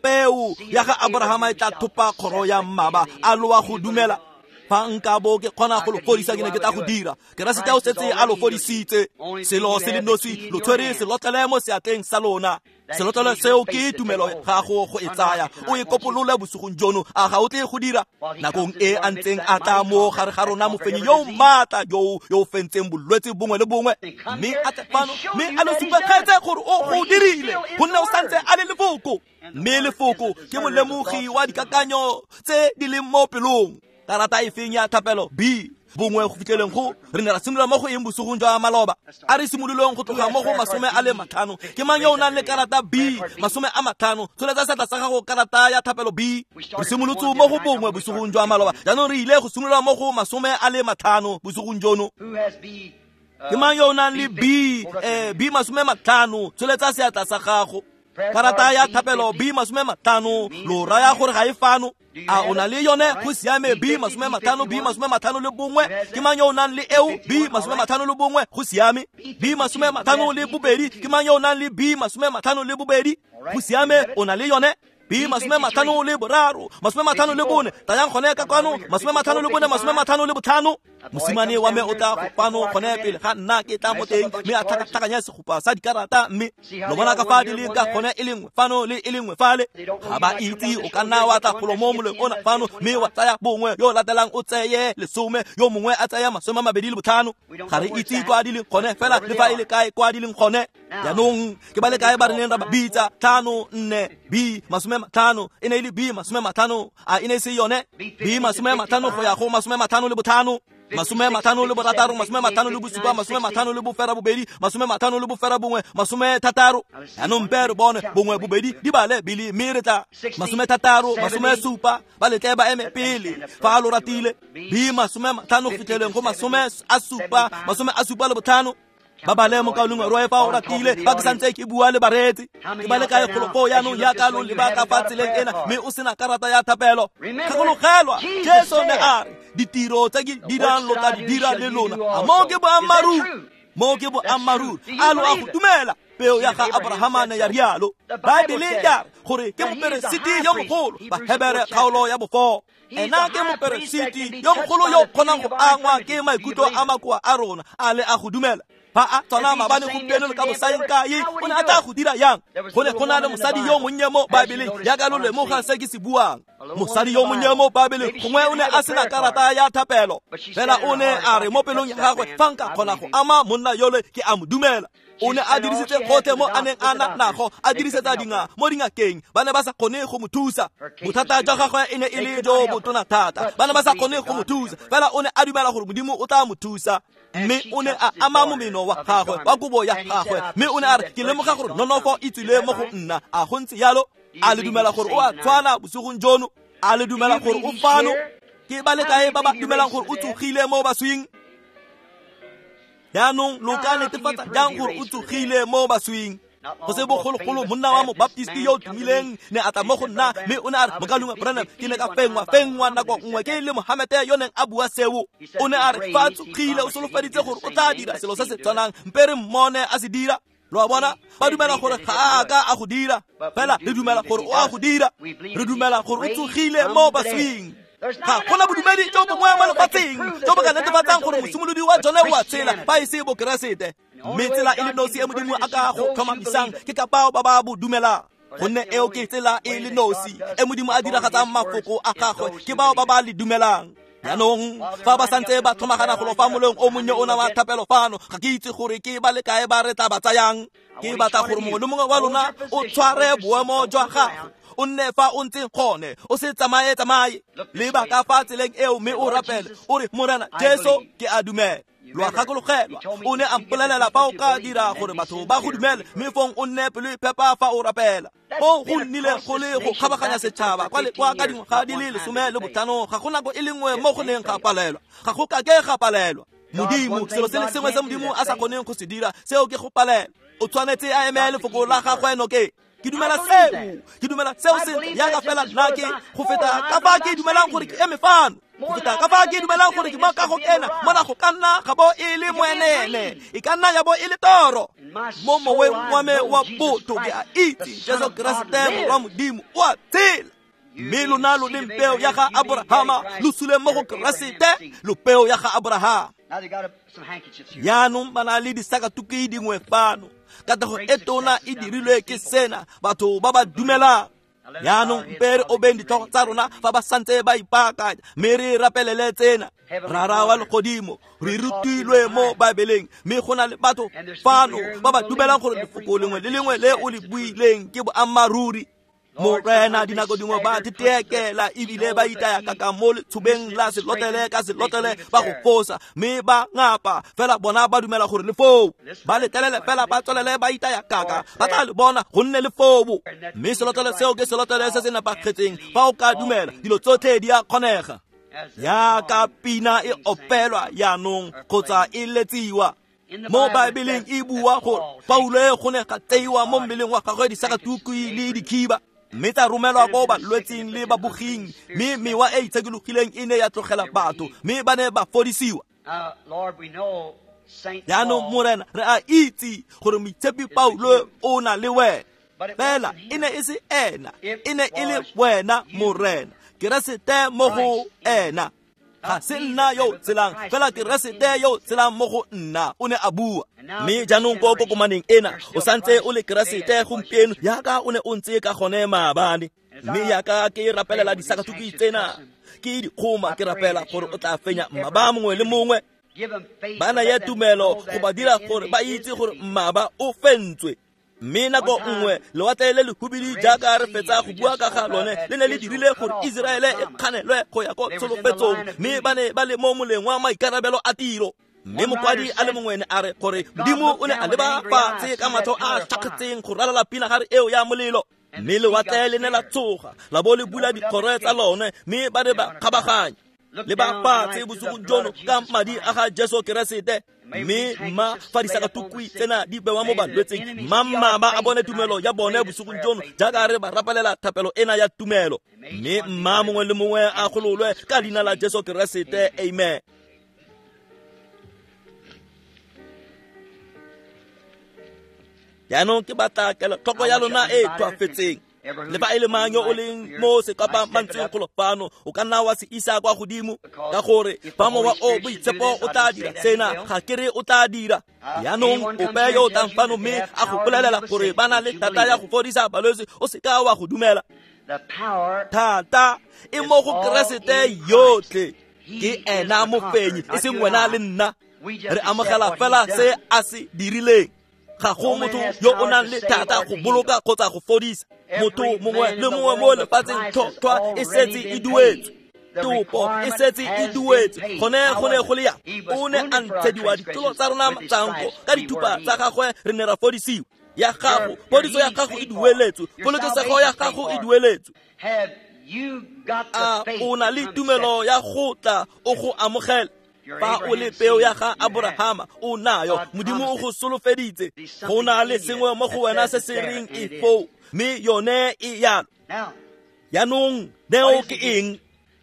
Peo ya ga Aborahama e tla thopa kgoro ya mmaba, a loa go dumela. Fa nka bo ke kgona go lo fodisa, ke ne ke tla go dira. Keresete o setse a lo fodisitse. Selo se le nosi, lo tshwere selotlele mo seatleng sa lona. Selotlele seo ke tumelo gago go e tsaya, o e kopolole bosigong jono. A ga o tle go dira? Nakong e a ntseng a tla mo gare ga rona mofenyi yo o maatla yo yo o fentseng bolwetse bongwe le bongwe, mme a tle fano mme a lo supegetse gore o go dirile, gonne o santse a le lefoko. Mme lefoko ke molemogi wa dikakanyo tse di leng mo pelong. Karata e feng ya thapelo B bongwe go fitlheleng go re ne ra simolola mo go eng bosigong jwa maloba? A re simololeng go tloga mo go masome a le matlhano. Ke mang yo o nang le karata B masome a matlhano? Tsholetsa seatla sa gago, karata ya thapelo B. Re simolotse mo go bongwe bosigong jwa maloba, jaanong re ile go simolola mo go masome a le matlhano bosigong jono. Ke mang yo o nang le B eh, B masome matlhano? Tsholetsa seatla sa gago. Karata ya thapelo B masome matlhano, lo raya gore ga e fano? A o na le yone? Go siame. B masome matlhano, B masome matlhano le bongwe. Ke mang yo o nang le eo? B masome matlhano le bongwe. Go siame. B masome matlhano le bobedi. Ke mang yo o nang le B masome matlhano le bobedi? Go siame, o na le yone. B masome matlhano le boraro, masome matlhano le bone, tlayang gone ka kwano, masome matlhano le bone, masome matlhano le botlhano. Mosimane wa me o tla go fano gone pele ga nna ke tla mo teng, mme a tlhakatlhakanya segopa sa dikarata, mme lo bona ka fa di le ka gone e le nngwe fano le e le nngwe fale. Ga ba itse, o ka nna wa tla golo mo moleng ona fano, mme wa tsaya bongwe, yo latelang o tseye lesome, yo mongwe a tsaya masome a mabedi le botlhano. Ga re itse kwa di leng gone, fela le fa e le kae kwa di leng gone. Jaanong ke ba le kae ba re neng ra ba bitsa? Tlhano, nne, B masome matlhano, e ne e le B masome matlhano, a e ne e se yone? B masome matlhano go ya go masome matlhano le botlhano, masome matlhano le borataro, masome matlhano le bosupa, masome matlhano le bofera bobedi, masome matlhano le bofera bongwe, masome thataro. Jaanong mpe re bone bongwe bobedi di bale bile, mme re tla masome thataro, masome supa, ba letle ba eme pele fa lo ratile. B masome matlhano go fitlheleng go masome a supa, masome a supa le botlhano. Ba bale mokaulengwe Roe fa o ratile, fa ke santse ke bua le bareetsi. Ke ba le kae golo foo jaanong jaaka lo leba ka fa tseleng ena, mme o sena karata ya thapelo? Gakologelwa, Jesu ne a re, ditiro tse ke dirang lo tla di dira le lona. A moo ke boammaaruri? Moo ke boammaaruri. A lo a go dumela? Peo ya ga Abrahama ne ya rialo. Baebele ya re gore ke moperesiti yo mogolo, Bahebere kgaolo ya bofo. Ena ke moperesiti yo mogolo yo kgonang go angwa ke maikutlo a makoa a rona, a le a go dumela. Fa a tswana maabane gompieno le ka bosaeng kae, o ne a tla go dira yang? Go ne go na le mosadi yo monnye mo Baebeleng, jaaka lo lemoga se ke se buang. Mosadi yo monnye mo Baebeleng, gongwe o ne a sena karata ya thapelo, fela o ne a re mo pelong ya gagwe, fa nka kgona go ama monna yole, ke a mo dumela. O ne a dirisitse gotlhe mo a neng a na nago, a dirisetsa dinga mo dingakeng, ba ne ba sa kgone go mo thusa. Bothata jwa gagwe e ne e le jo botona thata, ba ne ba sa kgone go mo thusa, fela o ne a dumela gore Modimo o tla mo thusa. Mme o ne a ama momeno wa gagwe, wa kobo ya gagwe, mme o ne a re, ke lemoga gore nonofo e tswile mo go nna. A go ntse yalo? A le dumela gore o a tshwana bosigong jono? A le dumela gore o fano? Ke ba le kae ba ba dumelang gore o tsogile mo baswing? Jaanong lo ka netefatsa jang gore o tsogile mo baswing? Go se bogologolo monna wa mobaptisti yo o tumileng ne a tla mo go nna, mme o ne a re, mokaulengwe Branham, ke ne ka fengwa fengwa nako nngwe ke le Mohamete yo neng a bua seo. O ne a re fa a tsogile o solofeditse gore o tla dira selo se se tshwanang, mpe re mmone a se dira. Lo a bona? Ba dumela gore ga a ka a go dira, fela re dumela gore o a go dira. Re dumela gore o tsogile mo baswing. Ga gona bodumedi jo bongwe mo lefatsheng jo bo ka netefatsang gore mosimolodi wa jone o a tshela fa e se bokeresete. Mme tsela e le nosi e Modimo a ka go tlhomamisang ke ka bao ba ba bo dumelang, gonne eo ke tsela e le nosi e Modimo a diragatsang mafoko a gagwe ke bao ba ba le dumelang. Jaanong fa ba santse ba tlhomagana golo fa moleng o monnye o na wa thapelo fano, ga ke itse gore ke ba le kae ba re tla ba tsayang. Ke batla gore mongwe le mongwe wa lona o tshware boemo jwa gago, o nne fa o ntseng gone, o se tsamaye tsamaye. Leba ka fa tseleng eo mme o rapele, o re, Morena Jesu, ke a dumela. Lo a gakologelwa, o ne a mpolelela fa o ka dira gore batho ba go dumele, mme fong o nne pelo e phepa fa o rapela. Mo go nnile go le go kgabaganya setšhaba kwa le kwa ka dingwaga di le lesome le botlhano, ga go nako e le nngwe mo go neng ga palelwa, ga go kake ga palelwa. Modimo, selo se le sengwe se Modimo a sa kgoneng go se dira, seo ke go palelwa. O tshwanetse a eme lefoko la gagwe nokeng. Ke dumela seo, ke dumela seo sentle jaaka fela nna ke go feta ka fa ke dumelang gore ke eme fano, go feta ka fa ke dumelang gore ke mo kagong ena, mona go ka nna ga bo e le moenene, e ka nna ya bo e le toro. Mo moweng wa me wa botho ke a itse Jesu Keresete Morwa Modimo o a tshela. Mme lona lo leng peo ya ga Abrahama, lo sule mo go Keresete, lo peo ya ga Abrahama. Jaanong ba na le disakatuki dingwe fano. Katlego e tona e dirilwe ke sena, batho ba ba dumelang. Jaanong mpe re obeng ditlhogo tsa rona fa ba santse ba ipaakanya, mme re rapelele tsena. Rara wa legodimo, re rutilwe mo Baebeleng, mme go na le batho fano ba ba dumelang gore lefoko lengwe le lengwe le o le buileng ke boammaaruri. Morena, dinako dingwe ba tetekela ebile ba itaya kaka mo letshobeng la selotlele ka selotlele, ba go fosa mme ba ngapa, fela bona ba dumela gore le foo. Ba letlelele fela ba tswelele ba itaya kaka, ba tla le bona gonne le foo. Mme selotlele seo ke selotlele se se nepagetseng. Fa o ka dumela, dilo tsotlhe di a kgonega. Jaaka pina e opelwa jaanong kgotsa e letsiwa mo Baebeleng, e bua gore Paulo go ne ga tseiwa mo mmeleng wa gagwe disakatuku le dikhiba, mme tsa romelwa ko balwetsing le baboging, mme mewa e itshekologileng e ne ya tlogela batho, mme ba ne ba fodisiwa. Jaanong Morena, re a itse gore moitshepi Paulo o na le wena. Fela e ne e se ena, e ne e le wena Morena, Keresete mo go ena. Ga se nna yo tselang, fela Keresete yo tselang mo go nna, o ne a bua. Mme jaanong ko kokomaneng ena, o santse o le Keresete gompieno yaka o ne o ntse ka gone maabane. Mme yaka ke rapelela disakatuku tsena, ke dikgoma, ke rapela gore o tla fenya mmaba mongwe le mongwe. Ba naya tumelo go ba dira gore ba itse gore mmaba o fentswe. Mme nako nngwe lewatle le lehubidi jaaka re fetsa go bua ka ga lone le ne le dirile gore Iseraele e kganelwe go ya ko tsholofetsong, mme ba ne ba le mo moleng wa maikarabelo a tiro. Mme mokwadi a le mongwe ne a re gore Modimo o ne a leba fatshe ka matlho a šakgetseng go ralala pinagare eo ya molelo. Mme lewatle le ne la tsoga la bo le bula dikgoro tsa lone, mme ba ne ba kgabaganya. Le ba fatshe bosigong jono ka madi a ga Jesu Keresete. Mme mma fa disakatukwi tsena di bewa mo balwetseng, mma mmaba a bone tumelo ya bone bosigong jono jaaka re ba rapelela thapelo ena ya tumelo. Mme mma mongwe le mongwe a gololwe ka leina la Jesu Keresete. Amen. Jaanong ke batla kelotlhoko ya lona e tlhoafetseng. Le fa e le mang yo o leng mo sekapa mantsweng golo fano, o ka nna wa se isa kwa godimo, ka gore fa mowa o boitshepo o tla dira sena, ga ke re o tla dira. Jaanong ope yo o tlang fano mme a go bolelela gore ba na le thata ya go fodisa balwetse, o seka wa go dumela. Thata e mo go Keresete yotlhe, ke ena mofenyi, e seng wena le nna. Re amogela fela se a se dirileng. Ga go motho yo o nang le thata go boloka kgotsa go fodisa. Motho mongwe le mongwe mo lefatsheng, tlhotlhwa e setse e duetswe, topo e setse e duetswe. Gone go ne go le yang, o ne a ntshediwa ditlolo tsa rona tsanko, ka dithupa tsa gagwe re ne ra fodisiwa. Ya gago, phodiso ya gago e dueletswe, polokesego ya gago e dueletswe. A o na le tumelo ya go tla o go amogela? Fa o le peo ya ga Aborahama, o nayo. Modimo o go solofeditse. Go na le sengwe mo go wena se se reng e foo, mme yone e yalo. Jaanong neo ke eng?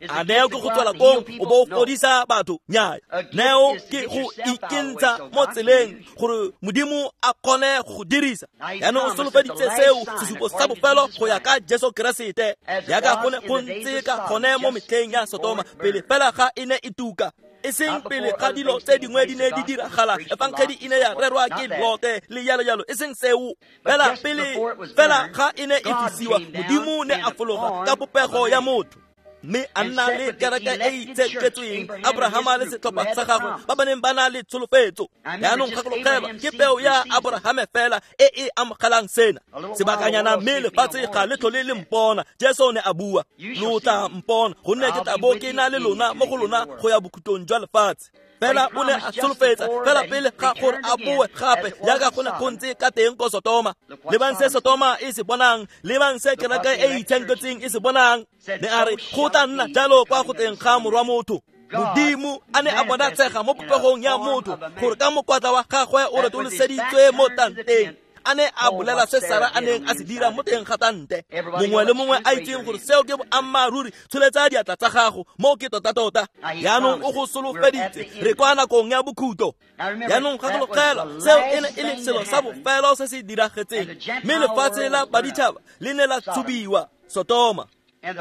A neo ke go tswela kong o bo o fodisa batho? Nnyaya. Neo ke go ikentsha mo tseleng gore Modimo a kgone go go dirisa. Jaanong o solofeditse seo, sesupo sa bofelo go ya ka Jesu Keresete, jaaka go ne go ntse ka gone mo metlheng ya Sotoma, pele fela ga e ne e tuka. E seng pele ga dilo tse dingwe di ne di diragala, efangedi e ne ya rerwa ke Lote le jalo jalo, e seng seo. Fela pele fela ga e ne e fisiwa, Modimo ne a fologa ka popego ya motho, mme a nna le kereke e itsheketsweng, Abrahama le setlhopha sa gagwe ba ba neng ba na le tsholofetso. Jaanong gakologelwa, ke peo ya Aborahame fela e e amogelang sena. Sebakanyana mme lefatshe ga le tlhole le mpona, Jesu ne a bua. Lo tla mpona, gonne ke tla bo ke na le lona mo go lona go ya bokhutlong jwa lefatshe. Fela o ne a solofetsa fela pele ga gore a boe gape, jaaka go ne go ntse ka teng ko Sotoma. Lebang se Sotoma e se bonang, lebang se kereke e itshenketseng e se bonang. Ne a re go tla nna jalo kwa go teng ga morwa motho. Modimo a ne a bonatshega mo popegong ya motho, gore ka mokwatla wa gagwe o retoloseditswe mo tanteng. A ne a bolela se Sara a neng a se dira mo teng ga tante. Mongwe le mongwe a itseng gore seo ke boammaaruri, tsholetsa diatla tsa gago, mo ke tota-tota. Jaanong o go solofeditse, re kwa nakong ya bokhutlo. Jaanong gakologelwa, seo e ne e le selo sa bofelo se se diragetseng, mme lefatshe la baditšhaba le ne la tshubiwa, Sotoma.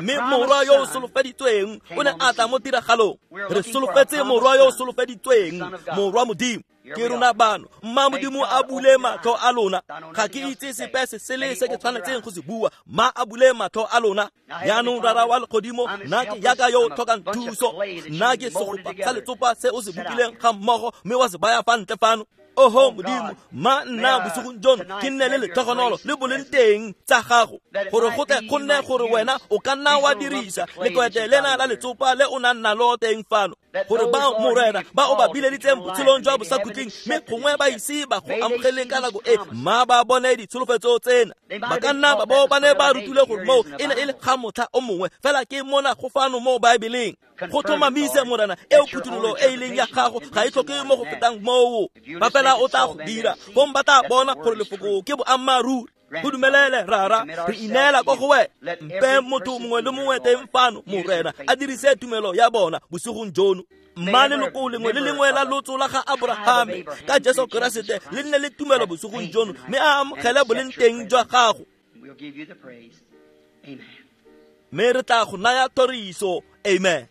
Mme morwa yo o solofeditsweng o ne a tla mo tiragalong. Re solofetse morwa yo o solofeditsweng, morwa Modimo. Ke rona bano, mma Modimo a bule matlho a lona. Ga ke itse sepe se sele se ke tshwanetseng go se bua, mma a bule matlho a lona. Jaanong Rara wa legodimo, nna ke yaka yo o tlhokang thuso, nna ke segopa sa letsopa se o se bopileng ga mmogo mme wa se baya fa ntle fano. Oho Modimo, mma nna bosigong jono ke nne le letlhogonolo le boleng teng tsa gago, gore go tle go nne gore wena o ka nna wa dirisa lekwete lena la letsopa le o nang nalo teng fano, gore ba Morena ba o ba bileditseng botshelong jwa bosakhutleng, mme gongwe ba ise ba go amogele ka nako e, mma ba bone ditsholofetso tsena. Ba ka nna ba bo ba ne ba rutile gore moo e ne e le ga motlha o mongwe, fela ke mona go fano mo Baebeleng. Go tlhomamise Morena, eo phuthololo e e leng ya gago ga e tlhoke mo go fetang moo. Ba fela o tla go dira, fong ba tla bona gore lefoko ke boammaaruri. Go dumelele Rara, re ineela ko go wena. Mpe motho mongwe le mongwe teng fano, Morena, a dirise tumelo ya bona bosigong jono. Mma leloko lengwe le lengwe la lotso la ga Aborahame ka Jesu Keresete le nne le tumelo bosigong jono, mme a amogele boleng teng jwa gago. Mme re tla go naya thoriso. Amen.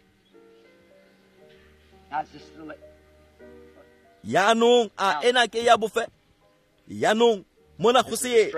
Yaanong a ena ke ya bofe. Yaanong mona go se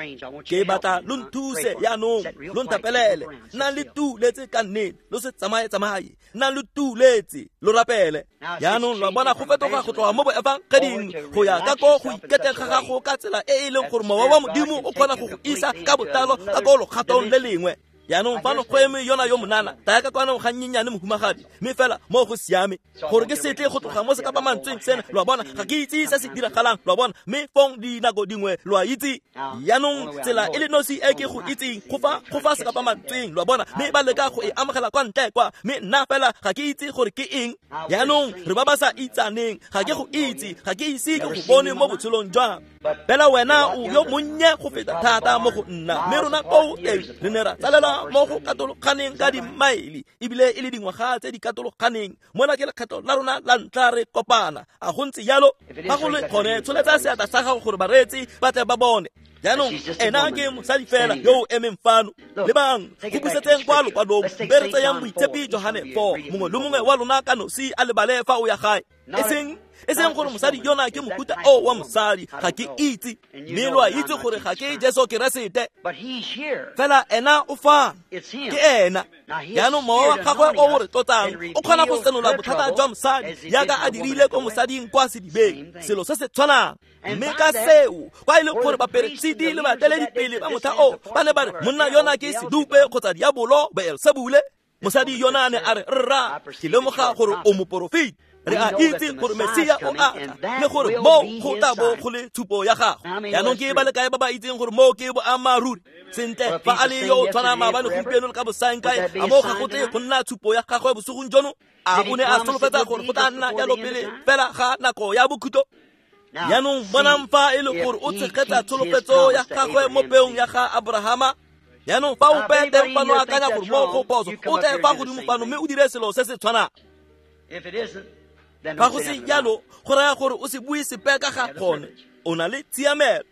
ke batla lo nthuse yaanong lo nthapelele. Nnang le tuletse ka nnete, lo se tsamaye tsamaye. Nnang le tuletse, lo rapele. Yaanong lo bona go fetoga go tloga mo boefangeding go ya ka ko go iketeng ga gago ka tsela e e leng gore mowa wa Modimo o kgona go go isa ka botlalo ka ko lokgatong le lengwe. Yaanong fano go eme yona yo monana, taya ka kwano ga nnyenyane mohumagadi, mme fela mo go siame gore ke setle go tloga mo sekapamantsweng sena. Lo a bona, ga ke itse se se diragalang, lo a bona, mme fong dinako dingwe lo a itse. Yaanong tsela e le nosi e ke go itseng go fa go fa sekapamantsweng, lo a bona, mme ba leka go e amogela kwa ntle kwa, mme nna fela ga ke itse gore ke eng. Yaanong re ba ba sa itsaneng, ga ke go itse, ga ke ise ke go bone mo botshelong jwa me. Fela wena o yo monnye go feta thata mo go nna, mme rona koo teng re ne ra tsalelwa mo go katologaneng ka dimaele, ebile e le dingwaga tse di katologaneng. Mona ke lekgetho la rona la ntlha re kopana. A go ntse jalo? Fa go le gone, tsholetsa seatla sa gago gore bareetsi ba tle ba bone. Jaanong ena ke mosadi fela yo o emeng fano. Lebang, go busetseng kwa lokwalong, be re tseyang Moitshepi Johane four. Mongwe le mongwe wa lona ka nosi a lebale fa o ya gae. E seng e seng gore mosadi yona ke mohuta o wa mosadi, ga ke itse, mme lo a itse gore ga ke Jesu Keresete. Fela ena o fano, ke ena. Jaanong mowa wa gagwe o o re tlotsang o kgona go senola bothata jwa mosadi jaaka a dirile ko mosading kwa sedibeng, selo se se tshwanang. Mme ka seo, kwa e leng gore baperesiti le baeteledipele ba motlha o ba ne ba re monna yona ke sedupe kgotsa diabolo Beelsebule, mosadi yona ne a re, rra, ke lemoga gore o moporofeti. Re a itse gore Mesia o a tla, le gore mo go tla bo go le tshupo ya gagwe. Jaanong ke ba le kae ba ba itseng gore mo ke boammaaruri? Sentle, fa a le yo o tshwanang maabane gompieno le ka bosaengkae, a mo ga go tle go nna tshupo ya gagwe bosigong jono? A o ne a solofetsa gore go tla nna jalo pele fela ga nako ya bokhutlo? Jaanong bonang fa e le gore o tshegetsa tsholofetso ya gagwe mo peong ya ga Abrahama. Jaanong fa ope teng fano akanya gore mo go phoso, o tle fa godimo fano mme o dire selo se se tshwanang. Fa go se jalo, go raya gore o se bue sepe ka ga gone. O na le tshiamelo.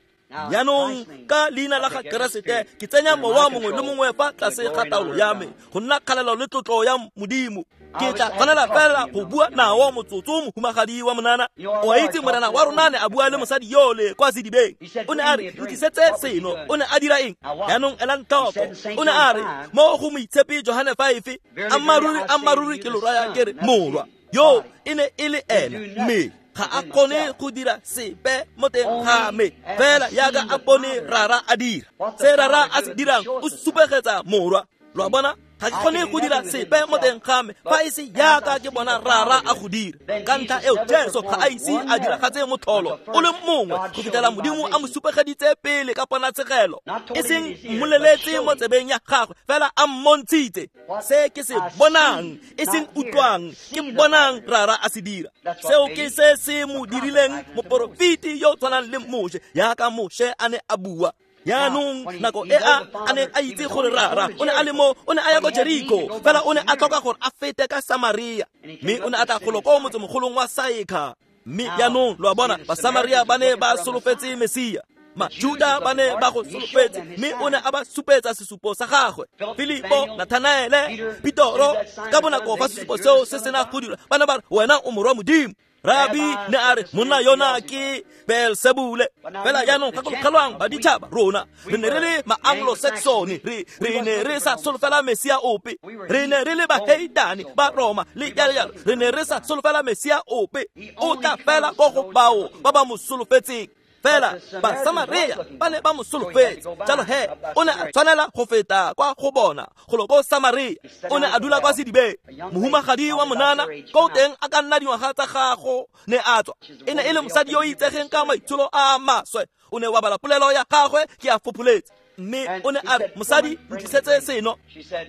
Jaanong ka leina la ga Keresete ke tsenya mowa mongwe le mongwe fa tlase ga taolo ya me, go nna kgalelo le tlotlo ya Modimo. Ke tla tshwanela fela go bua nao motsotso mohumagadi wa monana. O a itse morena wa rona ne a bua le mosadi yole kwa sedibeng. O ne a re, ntlisetse seno. O ne a dira eng? Jaanong elang tlhoko. O ne a re mo go Moitshepi Johane five, ammaaruri ammaaruri ke lo raya ke re morwa yo e ne e le ena, mme ga a kgone go dira sepe mo teng ga me, fela jaaka a bone rara a dira. Se rara a se dirang o supegetsa morwa. Lo a bona? Ga ke kgone go dira sepe mo teng ga me fa e se jaaka ke bona rara a go dira. Ka ntlha eo Jesu ga a ise a diragatse motlholo o le mongwe go fitlhela Modimo a mo supegeditse pele ka ponatshegelo, e seng mmoleletse mo tsebeng ya gagwe, fela a mmontshitse se ke se bonang, e seng utlwang, ke bonang rara a se dira. Seo ke se se mo dirileng moporofeti yo o tshwanang le Moshe, jaaka Moshe a ne a bua. Jaanong nako e a a ne a itse gore rara o ne a le mo, o ne a ya ko Jeriko, fela o ne a tlhoka gore a fete ka Samaria, mme o ne a tla golo ko motsemogolong wa Saekha. Mme jaanong lo a bona, Basamaria ba ne ba solofetse Mesia, Majuda ba ne ba go solofetse, mme o ne a ba supetsa sesupo sa gagwe. Filipo, Nathanaele, Petoro, ka bonako fa sesupo seo se sena go dira, ba ne ba re, wena o morwa Modimo. Rabi ne a re, monna yona ke Beelsebule. Fela jaanong gakologelwang baditšhaba rona, re ne re le ma-Anglo-Saxon, re re ne re sa solofela Mesia ope, re ne re le baheitane ba Roma le jalo jalo, re ne re sa solofela Mesia ope. O tla fela ko go bao ba ba mo solofetseng. Fela Basamaria ba ne ba mo solofetse, jalo he o ne a tshwanela go feta kwa go bona golo ko Samaria. O ne a dula kwa sedibeng. Mohumagadi wa monana ko teng a ka nna dingwaga tsa gago ne a tswa. E ne e le mosadi yo o itsegeng ka maitsholo a maswe. O ne wa bala polelo ya gagwe ke a fopholetse. Mme o ne a re, mosadi, ntlisetse seno.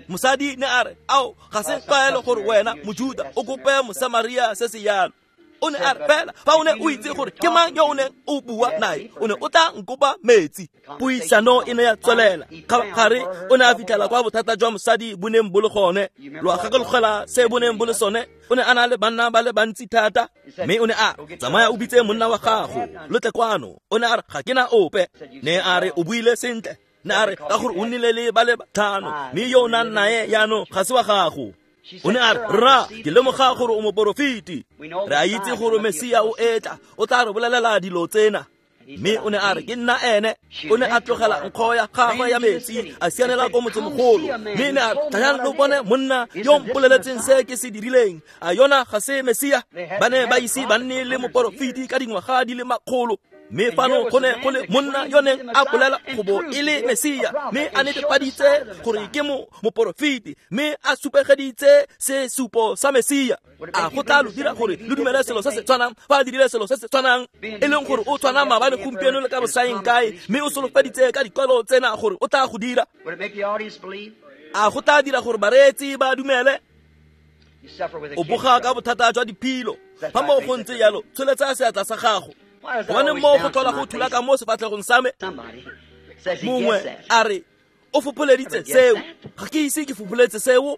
Mosadi ne a re, ao, ga se tlwaelo gore wena Mojuda o kope Mosamaria se se jalo. O ne a re, fela fa o ne o itse gore ke mang yo o neng o bua nae, o ne o tla nkopa metsi. Puisano e ne ya tswelela. Kgabagare o ne a fitlhela kwa bothata jwa mosadi bo neng bo le gone. Lo a gakologela se bo neng bo le sone. O ne a na le banna ba le bantsi thata, mme o ne a tsamaya o bitse monna wa gago, lo tle kwano. O ne a re, ga ke na ope. Ne a re, o buile sentle. Ne a re ka gore o nnile le ba le batlhano, mme yo o nang nae jaanong ga se wa gago. O ne a re, rra, ke lemoga gore o moporofeti. Re a itse gore Mesia o etla, o tla re bolelela dilo tsena. Mme o ne a re, ke nna ene. O ne a tlogela nkgo ya gagwe ya metsi, a sianela ko motsemogolo. Mme ne a re, tlayang lo bone monna yo mpoleletseng se ke se dirileng. A yona ga se Mesia? Ba ne ba ise ba nne le moporofeti ka dingwaga di le makgolo. Mme fano go ne go le monna yo neng a bolela go bo e le Mesia, mme a netefaditse gore ke mo moporofeti, mme a supegeditse sesupo sa Mesia. A go tla lo dira gore lo dumele selo se se tshwanang fa a dirile selo se se tshwanang, e leng gore o tshwana maabane, gompieno le ka bosaeng kae, mme o solofeditse ka dikwalo tsena gore o tla go dira. A go tla dira gore bareetsi ba dumele? O boga ka bothata jwa diphilo. Fa mo go ntse jalo, tsholetsa seatla sa gago. Gobane mo go tlhola go thula ka mo sefatlhegong sa me. Mongwe a re, o fopholeditse seo. Ga ke ise ke fopholetse seo.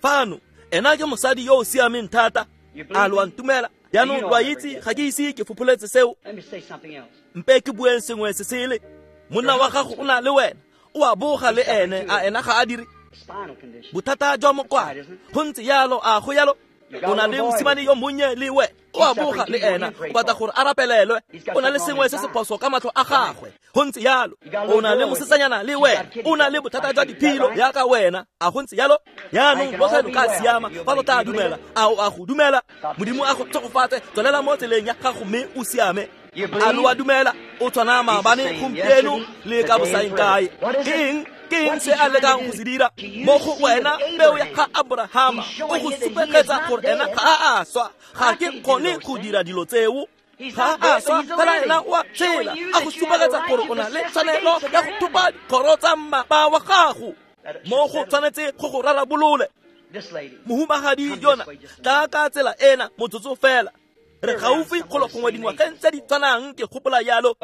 Fano, ena ke mosadi yo o siameng thata. A lo a ntumela? Jaanong lo a itse ga ke ise ke fopholetse seo. Mpe ke bueng sengwe se sele. Monna wa gago o na le wena, o a boga le ene, a ena ga a dire. Bothata jwa mokwalo, go ntse jalo, a go jalo? O na le mosimane yo monnye le we, o a boga le ena, o batla gore a rapelelwe. O na le sengwe se se phoso ka matlho a gagwe, go ntse jalo. O na le mosetsanyana le wena, o na le bothata jwa diphilo jaaka wena, a go ntse jalo? Jaanong botlhe lo ka siama fa lo tla dumela. A o a go dumela? Modimo a go tshegofatse, tswelela mo tseleng ya gago mme o siame. A lo a dumela? O tshwana maabane, gompieno le ka bosaeng kae. Ke eng? Ke eng se a lekang go se dira mo go wena? Peo ya ga Abrahama o go supegetsa gore ena ga a a swa. Ga ke kgone go dira dilo tseo. Ga a swa, fela ena o a tshela, a go supegetsa gore o na le tshwanelo ya go thopa dikgoro tsa mmapa wa gago. Mo go tshwanetse go go rarabolole. Mohumagadi yona, tla ka tsela ena motsotso fela. Re gaufi golo gongwe dingwageng tse di tshwanang, ke gopola jalo.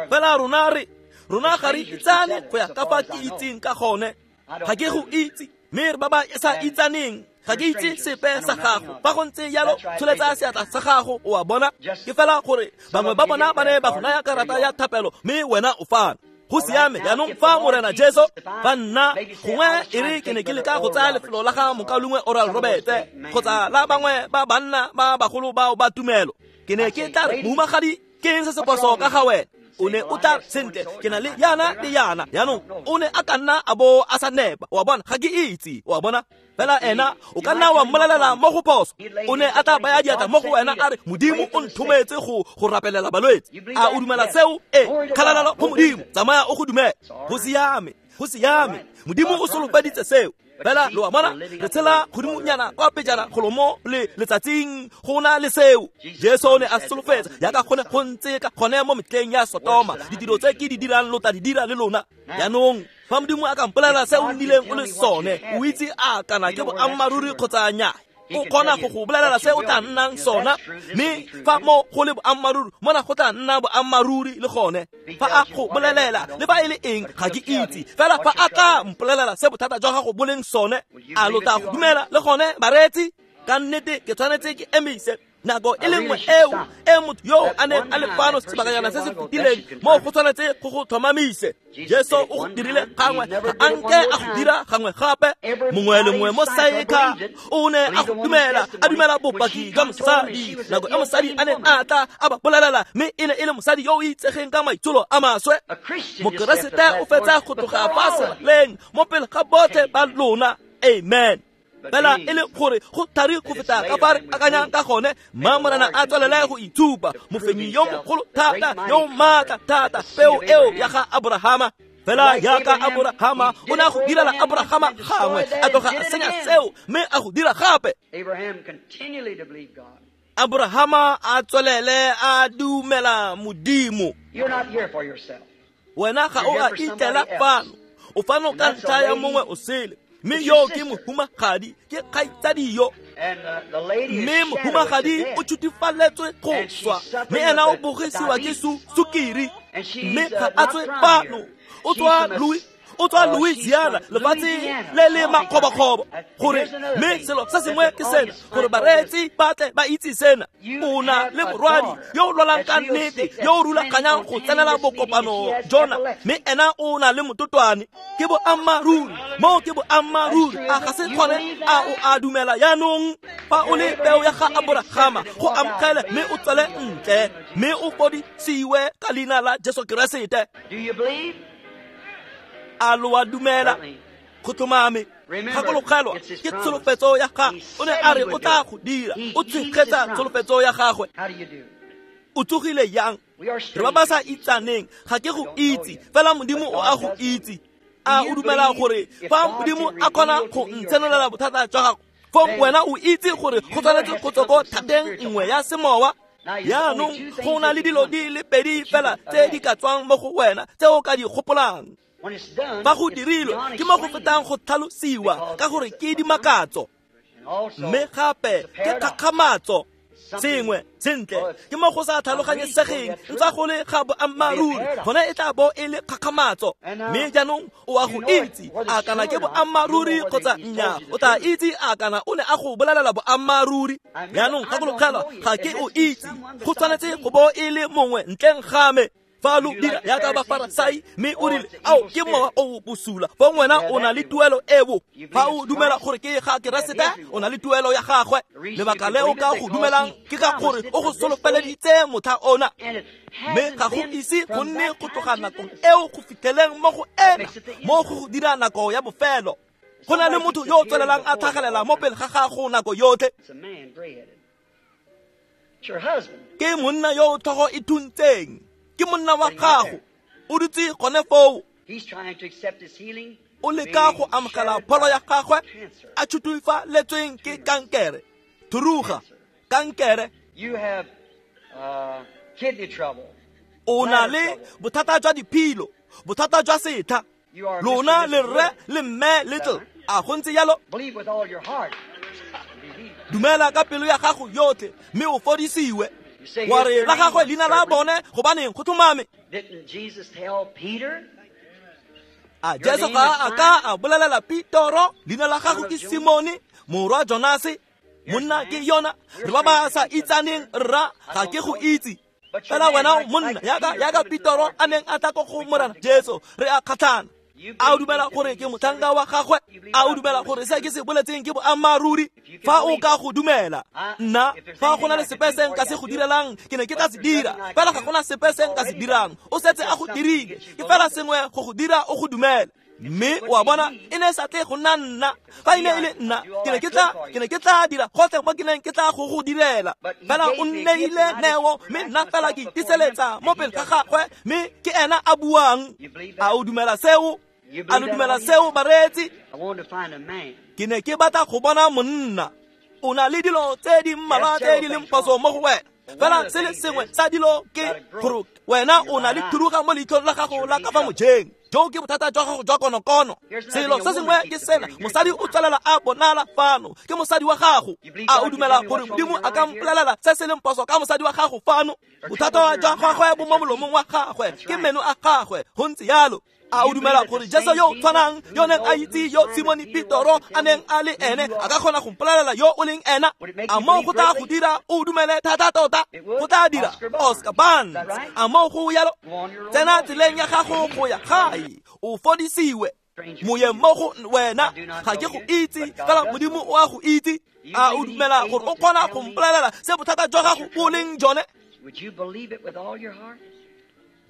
Fela rona re rona ga re itsane go ya ka fa ke itseng ka gone. Ga ke go itse, mme re ba ba sa itsaneng. Ga ke itse sepe sa gago. Fa go ntse jalo, tsholetsa seatla sa gago, o a bona. Ke fela gore bangwe ba bona ba ne ba go naya karata ya thapelo, mme wena o fano. Go siame jaanong fa Morena Jesu fa nna gongwe e re ke ne ke leka go tsaya lefelo la ga mokaulengwe Oral Roberts kgotsa la bangwe ba banna ba bagolo bao ba tumelo, ke ne ke tla re, mohumagadi, ke eng se se phoso ka ga wena? O ne o tla sentle, ke na le yana le yana. Jaanong o ne a ka nna a bo a sa nepa, o a bona, ga ke itse, o a bona. Fela ena o ka nna wa mmolelela mo go phoso. O ne a tla baya diatla mo go wena a re, Modimo o nthometse go go rapelela balwetse. A o dumela seo? Ee, kgalalelo go Modimo, tsamaya o go dumela. Go siame, go siame. Modimo o solofeditse seo. Fela lo a bona, re tshela godimonyana kwa pejana golo mo le letsatsing go na le seo. Jesu o ne a solofetsa jaaka gone go ntse ka gone mo metlheng ya Sotoma, ditiro tse ke di dirang lo tla di dira le lona. Jaanong fa Modimo a ka mpolelela se o nnileng o le sone, o itse a kana ke boammaaruri kgotsa nnyaa. O kgona go go bolelela se o tla nnang sona, mme fa mo go le boammaaruri, mona go tla nna boammaaruri le gone. Fa a go bolelela le fa e le eng, ga ke itse. Fela fa a tla mpolelela se bothata jwa gago bo leng sone, a lo tla go dumela le gone, bareetsi? Ka nnete ke tshwanetse ke emise nako e le nngwe eo e motho yo a neng a le fano sebakanyana se se fetileng, mo go tshwanetse go go tlhomamise. Jesu o go dirile gangwe, ga a nke a go dira gangwe gape. Mongwe le mongwe mo Saeka o ne a go dumela, a dumela bopaki jwa mosadi. Nako e mosadi a neng a tla a ba bolelela, mme e ne e le mosadi yo o itsegeng ka maitsholo a maswe. Mokeresete o fetsa go tloga fa seraleng mo pele ga botlhe ba lona. Amen. Fela e le gore go thari go feta ka fa re akanyang ka gone, mma Morena a tswelele go itshupa, mofenyi yo mogolo thata, yo maatla thata, peo eo ya ga Abrahama. Fela jaaka Abrahama o ne a go direla Abrahama gangwe, a tloga a senya seo, mme a go dira gape. Abrahama a tswelele a dumela Modimo. Wena ga o a itlela fano, o fano ka ntlha ya mongwe o sele. Mme yo ke mohumagadi, ke kgaitsadi yo. Mme mohumagadi o tshutifaletswe go swa, mme ena o bogisiwa ke sukiri, mme ga a tswe fano. O tswa Louis, O tswa Louisiana, lefatshe le le makgobokgobo. Gore mme selo se sengwe ke sena, gore bareetsi ba tle ba itse sena. O na le morwadi yo o lwalang ka nnete, yo o rulaganyang go tsenela bokopano jona, mme ena o na le mototwane. Ke boammaaruri, moo ke boammaaruri. A ga se gone? A o a dumela jaanong? Fa o le peo ya ga Aborahama, go amogele mme o tswele ntle, mme o fodisiwe ka leina la Jesu Keresete. A lo a dumela? Go tlhomame. Gakologelwa, ke tsholofetso ya gagwe. O ne a re o tla go dira. O tshegetsa tsholofetso ya gagwe. O tsogile yang? Re ba ba sa itsaneng. Ga ke go itse, fela Modimo o a go itse. A o dumela gore fa Modimo a kgona go ntshenolela bothata jwa gago, fong wena o itse gore go tshwanetse go tswa ko thateng nngwe ya semowa? Jaanong go na le dilo di le pedi fela tse di ka tswang mo go wena tse o ka di gopolang. Fa go dirilwe ke mo go fetang go tlhalosiwa, ka gore ke dimakatso, mme gape ke kgakgamatso. Sengwe sentle ke mo go sa tlhaloganyesegeng, ntsa go le ga boammaaruri, gone e tla bo e le kgakgamatso. Mme jaanong o a go itse a kana ke boammaaruri kgotsa nnyaa. O tla itse a kana o ne a go bolelela boammaaruri. Jaanong gakologelwa, ga ke o itse, go tshwanetse go bo e le mongwe ntleng ga me. Fa lo dira yaka Bafarasai, mme o rile, ao ke mowa o bosula, fong wena o na le tuelo eo. Fa o dumela gore ke ga Keresete, o na le tuelo ya gagwe. Lebaka le o ka go dumelang ke ka gore o go solofeleditse motlha ona, mme ga go ise go nne go tloga nakong eo go fitlheleng mo go ena, mo go go dira nako ya bofelo. Go na le motho yo o tswelelang a tlhagelela mo pele ga gago nako yotlhe. Ke monna yo o tlhogo e thuntseng, ke monna wa gago, o dutse gone foo. O leka go amogela pholo ya gagwe, a tšhutufaletsweng ke kankere. Thuruga, kankere. O na le bothata jwa diphilo, bothata jwa setha. Lona le rre le mme Little, a go ntse jalo? Dumela ka pelo ya gago yotlhe, mme o fodisiwe. Wa re la gagwe leina la bone, gobaneng go tlhomame. A Jesu ga a ka a bolelela Petoro, leina la gago ke Simone, morwa Jonase? Monna ke yona, re ba ba sa itsaneng, rra, ga ke go itse. Fela wena monna yaka yaka Petoro a neng a tla ko go Morena Jesu, re a kgatlhana. A o dumela gore ke motlhanka wa gagwe? A o dumela gore se ke se boletseng ke boammaaruri? Fa o ka go dumela, nna fa go na le sepe se nka se go direlang, ke ne ke tla se dira. Fela ga gona sepe se nka se dirang, o setse a go dirile. Ke fela sengwe go go dira o go dumele. Mme o a bona, e ne sa tle go nna nna. Fa e ne e le nna, ke ne ke tla ke ne ke tla dira gotlhe mo ke neng ke tla go go direla. Fela o nneile neo, mme nna fela ke itiseletsa mo pele ga gagwe, mme ke ena a buang. A o dumela seo? A lo dumela seo, bareetsi? Ke ne ke batla go bona monna. O na le dilo tse di mmalwa tse di leng phoso mo go wena. Fela se le sengwe sa dilo ke gore wena o na le thuruga mo leitlhong la gago la ka fa mojeng. Jo ke bothata jwa gago jwa konokono. Selo se sengwe ke sena, mosadi o tswelela a bonala fano, ke mosadi wa gago. A o dumela gore Modimo a ka mpolelela se se leng phoso ka mosadi wa gago fano? Bothata jwa gagwe bo mo molomong wa gagwe, ke meno a gagwe, go ntse jalo. A o dumela gore Jesu yo o tshwanang, yo neng a itse yo Simone Petoro a neng a le ene, a ka kgona go mpolelela yo o leng ena? A moo go tla go dira o dumele thata tota? Go tla dira. Oscar Barnes, a moo go yalo? Tsena tseleng ya gago go ya gae, o fodisiwe. Moyeng mo go wena, ga ke go itse, fela Modimo o a go itse. A o dumela gore o kgona go mpolelela se bothata jwa gago bo leng jone?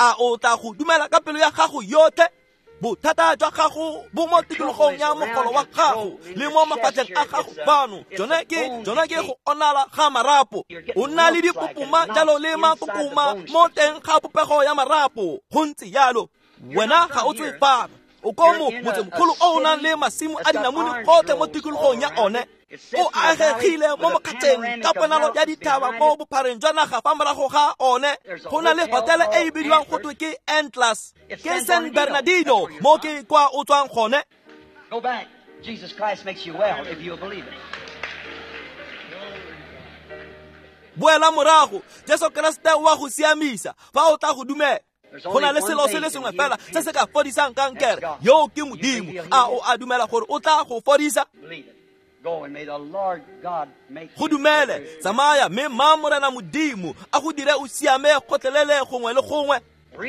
A o tla go dumela ka pelo ya gago yotlhe? Bothata jwa gago bo mo tikologong ya mogolo wa gago le mo mafatlheng a gago fano. Jone ke jone ke go onala ga marapo. O nna le dipopoma jalo le makokoma mo teng ga popego ya marapo. Go ntse jalo. Wena ga o tswe fano. O ko mo motsemogolo o o nang le masimo a dinamune gotlhe mo tikologong ya one. O agegile mo mokgatšheng ka ponalo ya dithaba mo bophareng jwa naga fa morago ga one. Go na le hotele e e bidiwang go twe ke Atlas, ke San Bernardino, mo ke kwa o tswang gone. Go back. Jesus Christ makes you well if you'll believe it. Boela morago, Jesu Keresete wa go siamisa fa o tla go dumela. Go na le selo se le sengwe fela se se ka fodisang kankere, yo ke Modimo. A o a dumela gore o tla go fodisa? Go dumele, tsamaya mme mma Morena Modimo a go dire o siame gotlhelele gongwe le gongwe.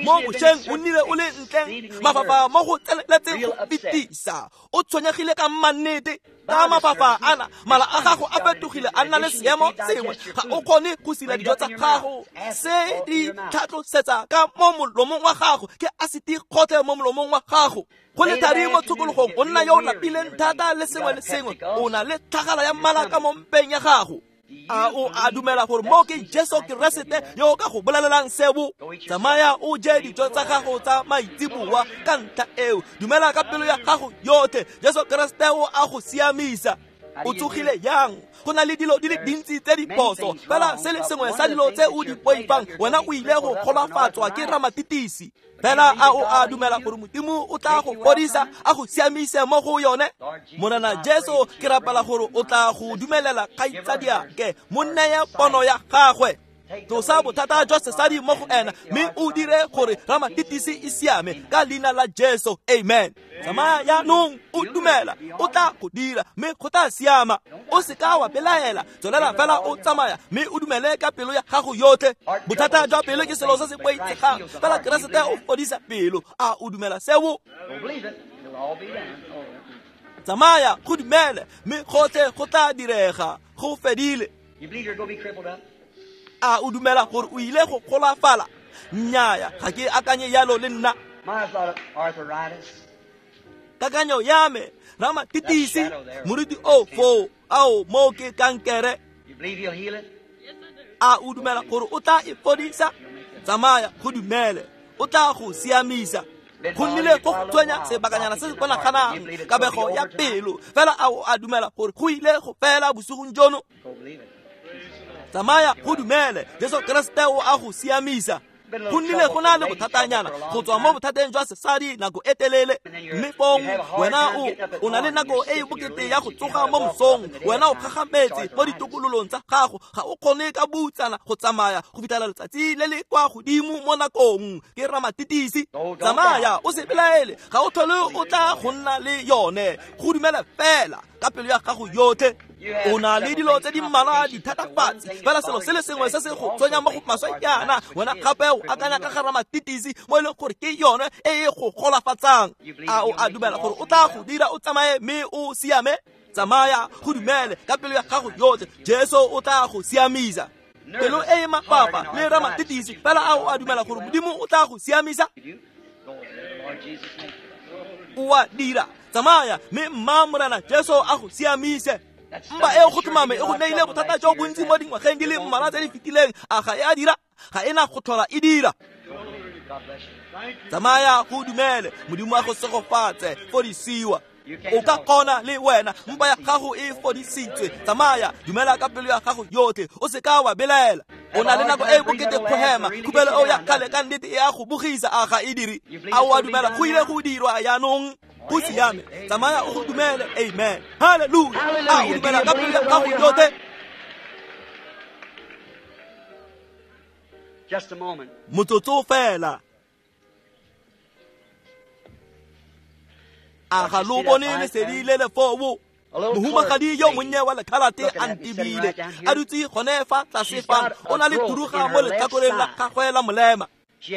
Mo bošeng o nnile o le ntleng mafafa mo go tseneletseng go fetisa, o tshwenyegile ka mannete ka mafafa ana, mala a gago a fetogile a nna le seemo sengwe, ga o kgone go sila dijo tsa gago, se di tlhatlosetsa ka mo molomong wa gago, ke asiti kgotlhe mo molomong wa gago. Go le thari mo tshokologong, o nna yo o lapileng thata le sengwe le sengwe, o na le tlhagala ya mmala ka mo mpeng ya gago. A o a dumela gore mo ke Jesu Keresete yo o ka go bolelelang seo? Tsamaya o je dijo tsa gago tsa maitseboa ka ntlha eo, dumela ka pelo ya gago yotlhe, Jesu Keresete o a go siamisa. O tsogile yang? Go na le dilo di le dintsi tse di phoso, fela se le sengwe sa dilo tse o di boifang, wena o ile go golafatswa ke ramatitisi. Fela a o a dumela gore Modimo o tla go fodisa, a go siamise mo go yone? Morena Jesu, ke rapela gore o tla go dumelela kgaitsadiake, mo neye pono ya gagwe. Tlosa bothata jwa sesadi mo go ena, mme o dire gore ramatitisi e siame ka leina la Jesu. Amen. Tsamaya jaanong o dumela, o tla go dira mme go tla siama. O seka wa belaela, tswelela fela o tsamaya mme o dumele ka pelo ya gago yotlhe. Bothata jwa pelo ke selo se se boitshegang, fela Keresete o fodisa pelo. A o dumela seo? Tsamaya go dumele mme gotlhe go tla direga. Go fedile. A o dumela gore o ile go golafala? Nnyaya, ga ke akanye yalo le nna. Kakanyo ya me, ramatitisi, moruti o foo, ao mo ke kankere. A o dumela gore o tla e fodisa? Tsamaya go dumele, o tla go siamisa. Go nnile go go tshwenya sebakanyana se se bonaganang kabego ya pelo, fela a o a dumela gore go ile go fela bosigong jono? Tsamaya go dumele, Jesu Keresete o a go siamisa. Go nnile go na le bothatanyana go tswa mo bothateng jwa sesadi nako e telele, mme fong wena o o na le nako e e bokete ya go tsoga mo mosong, wena o gagametse mo ditokololong tsa gago, ga o kgone ka boutsana go tsamaya go fitlhela letsatsi le le kwa godimo mo nakong. Ke ramatitisi. Tsamaya o se belaele, ga o tlhole o tla go nna le yone. Go dumela fela ka pelo ya gago yotlhe. O na le dilo tse di mmalwa dithatafatsi, fela selo se le sengwe se se go tshwenyang mo go maswe jaana, wena gape o akanya ka ga ramatitisi mo e leng gore ke yone e e go golafatsang. A o a dumela gore o tla go dira o tsamaye mme o siame? Tsamaya go dumele ka pelo ya gago yotlhe, Jesu o tla go siamisa. Pelo e e mapapa le ramatitisi, fela a o a dumela gore Modimo o tla go siamisa? O a dira. Tsamaya mme mma Morena Jesu a go siamise. Mpa eo go tlhomame e go neile bothata jo bontsi mo dingwageng di le mmalwa tse di fetileng, a ga e a dira? Ga e na go tlhola e dira. Tsamaya go dumele, Modimo a go segofatse, fodisiwa. O ka kgona le wena, mpa ya gago e fodisitswe. Tsamaya, dumela ka pelo ya gago yotlhe, o seka wa belaela. O na le nako e bokete go hema, khupelo eo ya kgale ka nnete e a go bogisa, a ga e dire? A o a dumela go ile go dirwa jaanong? Go siame, tsamaya o go dumele. Amen. Hallelujah. A o dumela ka pelo ya gago yotlhe? Just a moment. Motsotso fela. A ga lo bone lesedi le le foo? Mohumagadi yo monnye wa lekhalate a ntebile, a dutse gone fa tlase fano, o na le thuruga mo letlhakoreng la gagwe la molema.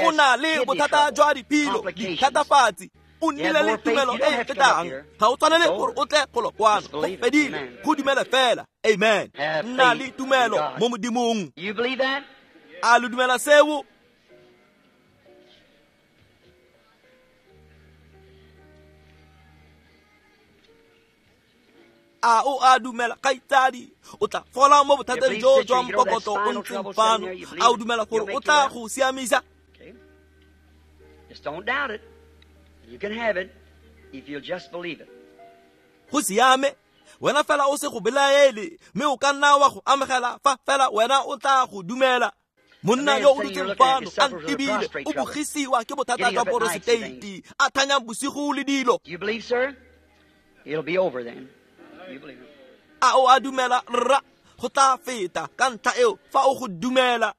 O na le bothata jwa diphilo, dithatafatsi. O nnile le tumelo e e fetang, ga o tshwanele gore o tle golo kwano. Go fedile, go dumele fela. Amen. Nna le tumelo mo Modimong. A lo dumela seo? A o a dumela kgaitsadi, o tla fola mo bothateng jo jwa mpokoto o ntseng fano? A o dumela gore o tla go siamisa? Just don't doubt it. You can have it if you'll just believe it. Go siame, wena fela o se go belaele, mme o ka nna wa go amogela fa fela wena o tla go dumela. Monna yo o dutseng fano a ntebile, o bogisiwa ke bothata jwa poroseteiti, a thanyang bosigo le dilo. You believe, sir? It'll be over then. You believe it. A o a dumela rra? Go tla feta ka ntlha eo fa o go dumela.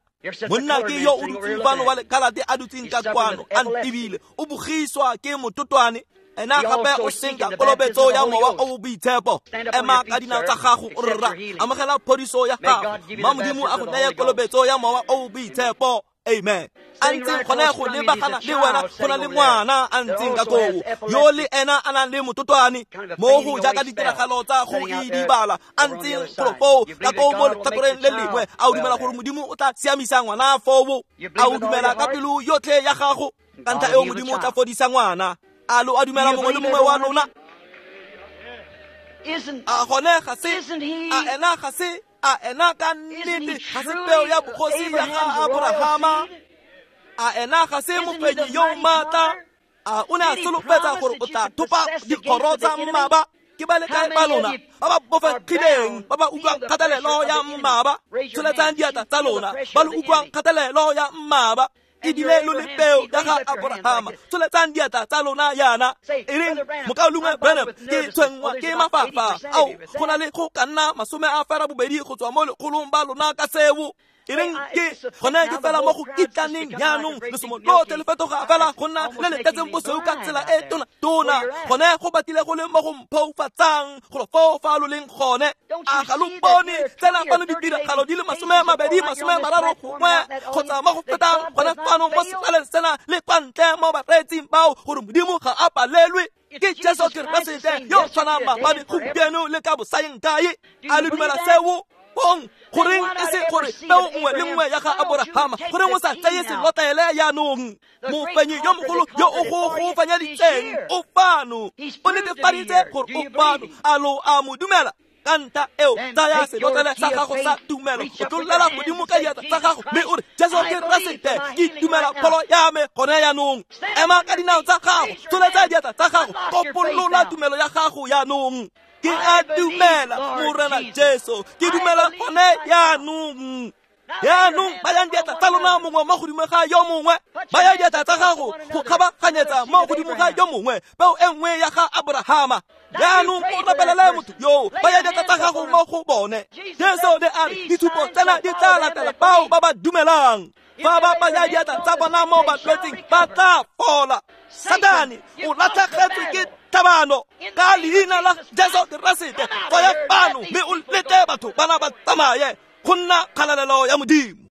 Monna ke yo o dutseng fano wa lekhalate a dutseng ka kwano a ntebile, o bogiswa ke mototwane. Ena gape o senka kolobetso ya mowa o o boitshepo. Ema ka dinao tsa gago o rra, amogela phodiso ya gago. Mma Modimo a go neye kolobetso ya mowa o o boitshepo. Amen. A ntseng gone go lebagana le wena go na le ngwana a ntseng ka koo yo le ena a nang le mototwane mo go jaaka ditiragalo tsa go idibala a ntseng golo foo ka koo mo letlhakoreng le lengwe. A o dumela gore Modimo o tla siamisa ngwana foo? A o dumela ka pelo yotlhe ya gago? Ka ntlha eo Modimo o tla fodisa ngwana. A lo a dumela mongwe le mongwe wa lona? A gone ga se, a ena ga se, a ena ka nnete ga se peo ya bogosi ya ga Aborahama? A ena ga se mofenyi yo maatla? A o ne a solofetsa gore o tla thopa dikgoro tsa mmaba? Ke ba le kae ba lona ba ba bofegileng, ba ba utlwang kgatelelo ya mmaba? Tsholetsang diatla tsa lona ba lo utlwang kgatelelo ya mmaba. Ebile lo le peo ya ga Aborahama. Tsholetsang diatla tsa lona yana. E reng mokaulengwe Branham, ke tshwenngwa ke mafafa ao go na le go ka nna masome a fera bobedi go tswa mo lekgolong ba lona ka seo. E reng ke gone ke fela mo go kitlaneng jaanong lesomo lotlhe le fetoga fela go nna le le tletseng bosweu ka tsela e tona-tona. Gone go batile go le mo go mphoufatsang golo foo fa lo leng gone. A ga lo bone tsena fano ditiragalo di le masome mabedi masome mararo gongwe kgotsa mo go fetang gone fano mo sefaleng sena le kwa ntle mo bareetsing bao gore Modimo ga a palelwe? Ke Jesu Keresete yo tshwanang maabane, gompieno le ka bosaeng kae. A le dumela seo? Bong goreng e se gore peo nngwe le nngwe ya ga Aborahama, goreng o sa tseye selotlele jaanong? Mofenyi yo mogolo yo o go go fenyeditseng o fano, o netefaditse gore o fano. A lo a mo dumela? Ka ntlha eo tsaya selotlele sa gago sa tumelo, o tlolela godimo ka diatla tsa gago mme o re, Jesu Keresete, ke dumela pholo ya me gone jaanong. Ema ka dinao tsa gago, tsholetsa diatla tsa gago, kopolola tumelo ya gago jaanong. Ke a dumela Morena Jesu, ke dumela gone jaanong. Jaanong bayang diatla tsa lona mongwe mo godimo ga yo mongwe, baya diatla tsa gago go kgabaganyetsa mo godimo ga yo mongwe, peo e nngwe ya ga Aborahama. Jaanong o rapelele motho yo, baya diatla tsa gago mo go bone. Jesu ne a re ditshupo tsena di tla latela bao ba ba dumelang. Fa ba baya diatla tsa bona mo balwetsing ba tla fola. Satane o latlhegetswe ke tlhabano ka leina la Jesu Keresete. Tswaya fano mme o lete batho bana ba tsamaye go nna kgalalelo ya Modimo.